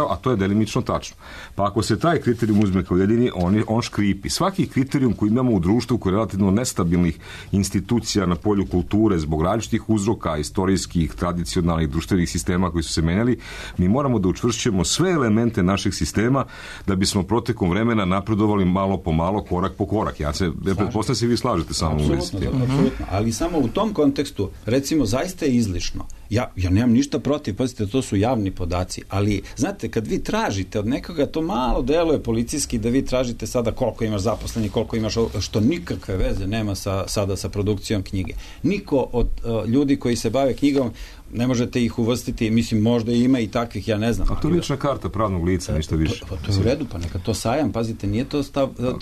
a to je delimično tačno. Pa ako se taj kriterijum uzme kao jedini, on škripi. Svaki kriterijum koji imamo u društvu koji je relativno nestabilnih institucija na polju kulture zbog različitih uzroka, istorijskih, tradicionalnih, društvenih sistema koji su se menjali, mi moramo da učvršćujemo sve elemente našeg sistema da bismo protekom vremena napredovali malo po malo, korak po korak. Ja pretpostavljam se vi slažete samo u vezi. Apsolutno, ali samo u tom kontekstu, recimo, zaista je izlišno. Ja nemam ništa protiv, pazite, to su javni podaci, ali, znate, kad vi tražite od nekoga, to malo deluje policijski da vi tražite sada koliko imaš zaposlenih, koliko imaš, što nikakve veze nema sada sa produkcijom knjige. Niko od ljudi koji se bave knjigom ne možete ih uvrstiti, mislim, možda ima i takvih, ja ne znam. A to je lična karta pravnog lica, ništa više. To je u redu, pa neka to sajam, pazite, nije to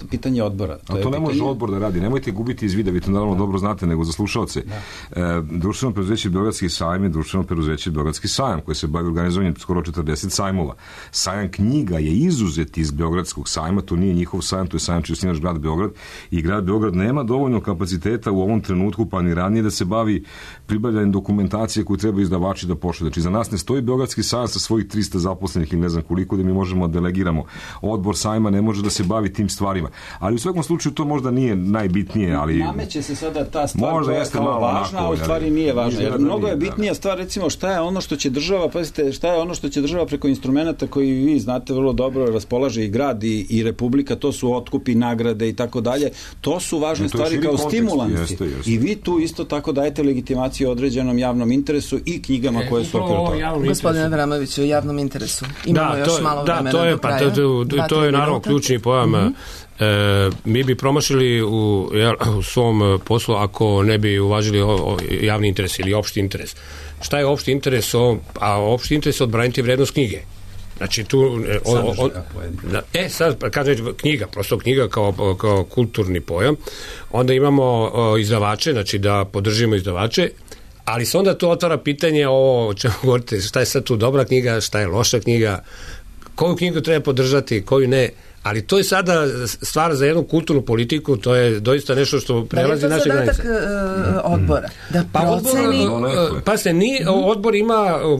pitanje odbora. To ne može odbor da radi, nemojte gubiti iz vida, vi to naravno dobro znate, nego za slušalce. Društveno preduzeće Beogradski sajam je društveno preduzeće Beogradski sajam, koje se bavi organizovanjem skoro 40 sajmova. Sajam knjiga je izuzet iz Beogradskog sajma, to nije njihov sajam, to je sajam čiji osnivač grad Beograd, i grad Beograd nema dovoljno kapaciteta u ovom trenutku, pa ni ranije, da se bavi pribavljanjem dokumentacije koju treba treba izdavači da pošalju. Znači, za nas ne stoji Beogradski sajam sa svojih 300 zaposlenih ili ne znam koliko da mi možemo da delegiramo. Odbor sajma ne može da se bavi tim stvarima. Ali u svakom slučaju to možda nije najbitnije, ali... Nameće se sada ta stvar koja je kao važna, a u stvari nije važna. Jer mnogo je bitnija stvar, recimo, šta je ono što će država, pazite, šta je ono što će država preko instrumenta koji vi znate vrlo dobro raspolaže i grad i republika, to su otkupi, nagrade i tako dalje. To su važne stvari kao stimulansi. I vi tu isto tako dajete legitimaciju određenom javnom interesu i knjigama koje su okolo toga. Gospodine Avramoviću, o javnom interesu. Imamo još malo vremena do kraja. To je naravno ključni pojam. Mi bi promašili u svom poslu ako ne bi uvažili javni interes ili opšti interes. Šta je opšti interes? A opšti interes je odbraniti vrednost knjige. Znači tu sad kaže knjiga, prosto knjiga kao kulturni pojam. Onda imamo izdavače, znači da podržimo izdavače, ali se onda tu otvara pitanje o čemu govorite, šta je sad tu dobra knjiga, šta je loša knjiga, koju knjigu treba podržati, koju ne. Ali to je sada stvar za jednu kulturnu politiku, to je doista nešto što prelazi naše granice. Da li je to zadatak odbora? Da proceni... Odbor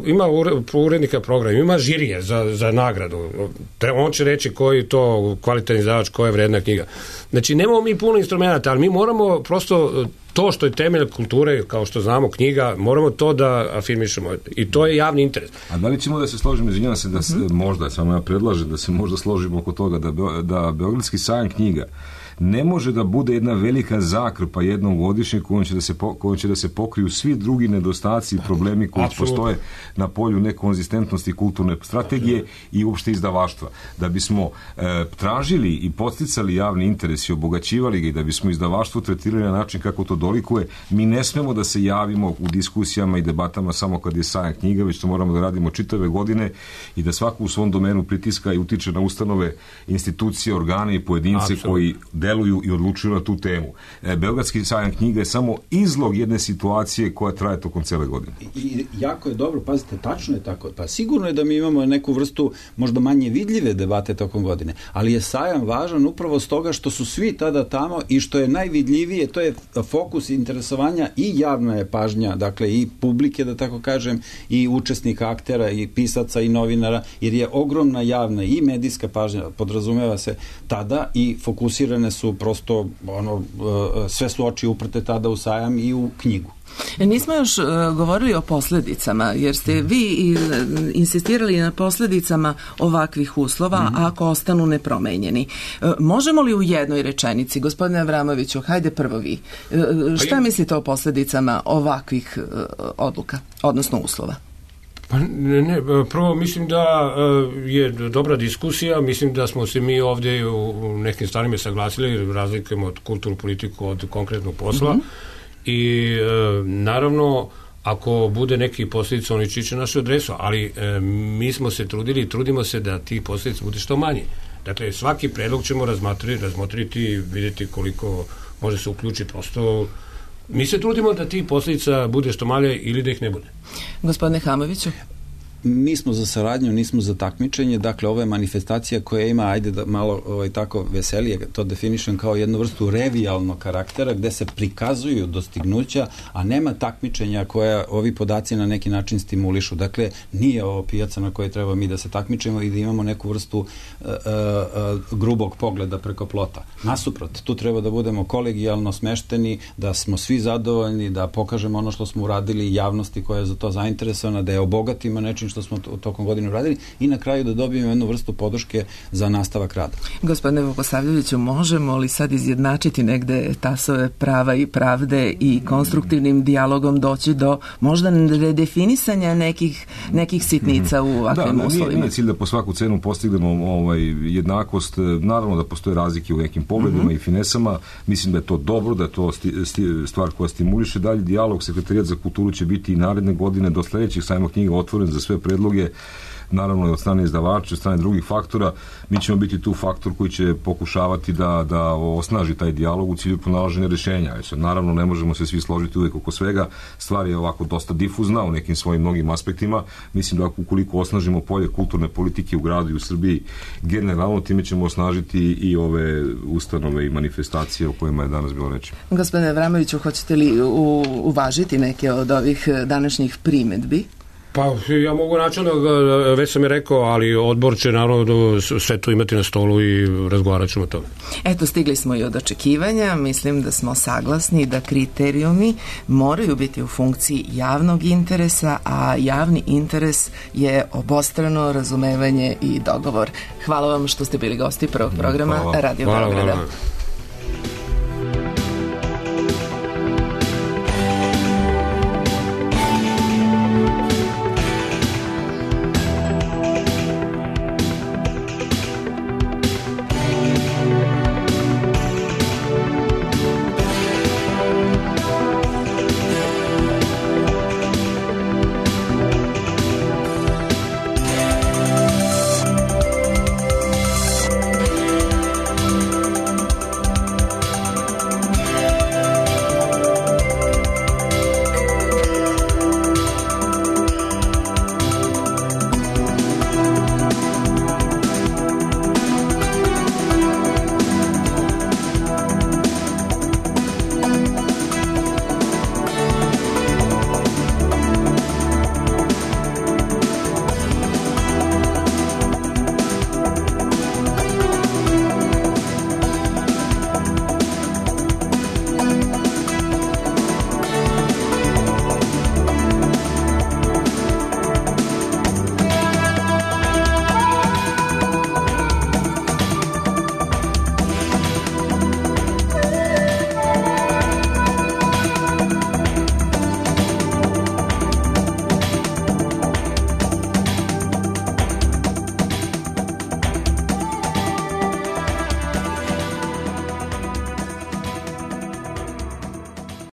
ima urednika programa, ima žirije za nagradu. On će reći koji je to kvalitetan izdavač, koja je vredna knjiga. Znači, nemamo mi puno instrumenta, ali mi moramo prosto to što je temelj kulture, kao što znamo, knjiga, moramo to da afirmišemo. I to je javni interes. A da li ćemo da se složimo, izvinjavam se, da se možda, samo ja predlažem da se možda složimo oko toga da Beogradski sajam knjiga ne može da bude jedna velika zakrpa jednom godišnje kojom će da se pokriju svi drugi nedostaci i problemi koji postoje na polju nekonzistentnosti kulturne strategije i uopšte izdavaštva. Da bismo tražili i podsticali javni interes i obogaćivali ga i da bismo izdavaštvo tretirali na način kako to dolikuje, mi ne smemo da se javimo u diskusijama i debatama samo kad je sajam knjiga, već to moramo da radimo čitave godine i da svako u svom domenu pritiska i utiče na ustanove, institucije, organe i pojedince koji deluju i odlučuju na tu temu. Beogradski sajam knjiga je samo izlog jedne situacije koja traje tokom cele godine. I jako je dobro, pazite, tačno je tako. Pa sigurno je da mi imamo neku vrstu možda manje vidljive debate tokom godine, ali je sajam važan upravo stoga što su svi tada tamo i što je najvidljivije, to je fokus interesovanja i javna je pažnja, dakle i publike, da tako kažem, i učesnika, aktera, i pisaca, i novinara, jer je ogromna javna i medijska pažnja, podrazumeva se tada i fokusirane su prosto, sve su oči uprte tada u sajam i u knjigu. Nismo još govorili o posledicama, jer ste vi insistirali na posledicama ovakvih uslova ako ostanu nepromenjeni. Možemo li u jednoj rečenici, gospodine Avramoviću, hajde prvo vi, šta mislite o posledicama ovakvih odluka, odnosno uslova? Prvo mislim da je dobra diskusija, mislim da smo se mi ovdje u nekim stvarima saglasili, razlikujemo od kulturnu politiku od konkretnog posla i naravno ako bude neki posljedica oni čiče našu adresu, ali mi smo se trudili i trudimo se da tih posljedica bude što manje. Dakle, svaki predlog ćemo razmotriti i vidjeti koliko može se uključiti, prosto mi se trudimo da tih posljedica bude što manje ili da ih ne bude. Gospodine Hamoviću? Nismo za saradnju, nismo za takmičenje, dakle ovo je manifestacija koja ima, ajde da malo tako veselije to definišem, kao jednu vrstu revijalnog karaktera gde se prikazuju dostignuća, a nema takmičenja koja ovi podaci na neki način stimulišu. Dakle, nije ovo pijaca na kojoj treba mi da se takmičemo i da imamo neku vrstu grubog pogleda preko plota. Nasuprot, tu treba da budemo kolegijalno smešteni, da smo svi zadovoljni, da pokažemo ono što smo uradili javnosti koja je za to zainteresovana, da je obogatimo nečim što smo tokom godine uradili i na kraju da dobijemo jednu vrstu podrške za nastavak rada. Gospodine Vukosavljeviću, možemo li sad izjednačiti negde tasove prava i pravde i konstruktivnim dijalogom doći do možda redefinisanja nekih sitnica u ovakvim uslovima? Nije cilj da po svaku cenu postignemo jednakost. Naravno da postoje razlike u nekim pogledima i finesama. Mislim da je to dobro, da je to stvar koja stimuliše dalje dijalog. Sekretarijat za kulturu će biti i naredne godine do sledećeg sajma knjiga otvoren za sve predloge naravno i od strane izdavača, od strane drugih faktora. Mi ćemo biti tu faktor koji će pokušavati da osnaži taj dijalog u cilju pronalaženja rješenja. Naravno, ne možemo se svi složiti uvijek oko svega. Stvar je ovako dosta difuzna u nekim svojim mnogim aspektima. Mislim da ukoliko osnažimo polje kulturne politike u gradu i u Srbiji, generalno time ćemo osnažiti i ove ustanove i manifestacije o kojima je danas bilo reči. Gospodine Avramoviću, hoćete li uvažiti neke od ovih današnjih primedbi? Pa ja mogu načelno, već sam je rekao, ali odbor će naravno sve to imati na stolu i razgovarat ćemo o tome. Eto, stigli smo i od očekivanja. Mislim da smo saglasni da kriterijumi moraju biti u funkciji javnog interesa, a javni interes je obostrano razumevanje i dogovor. Hvala vam što ste bili gosti prvog programa Radio Beograda.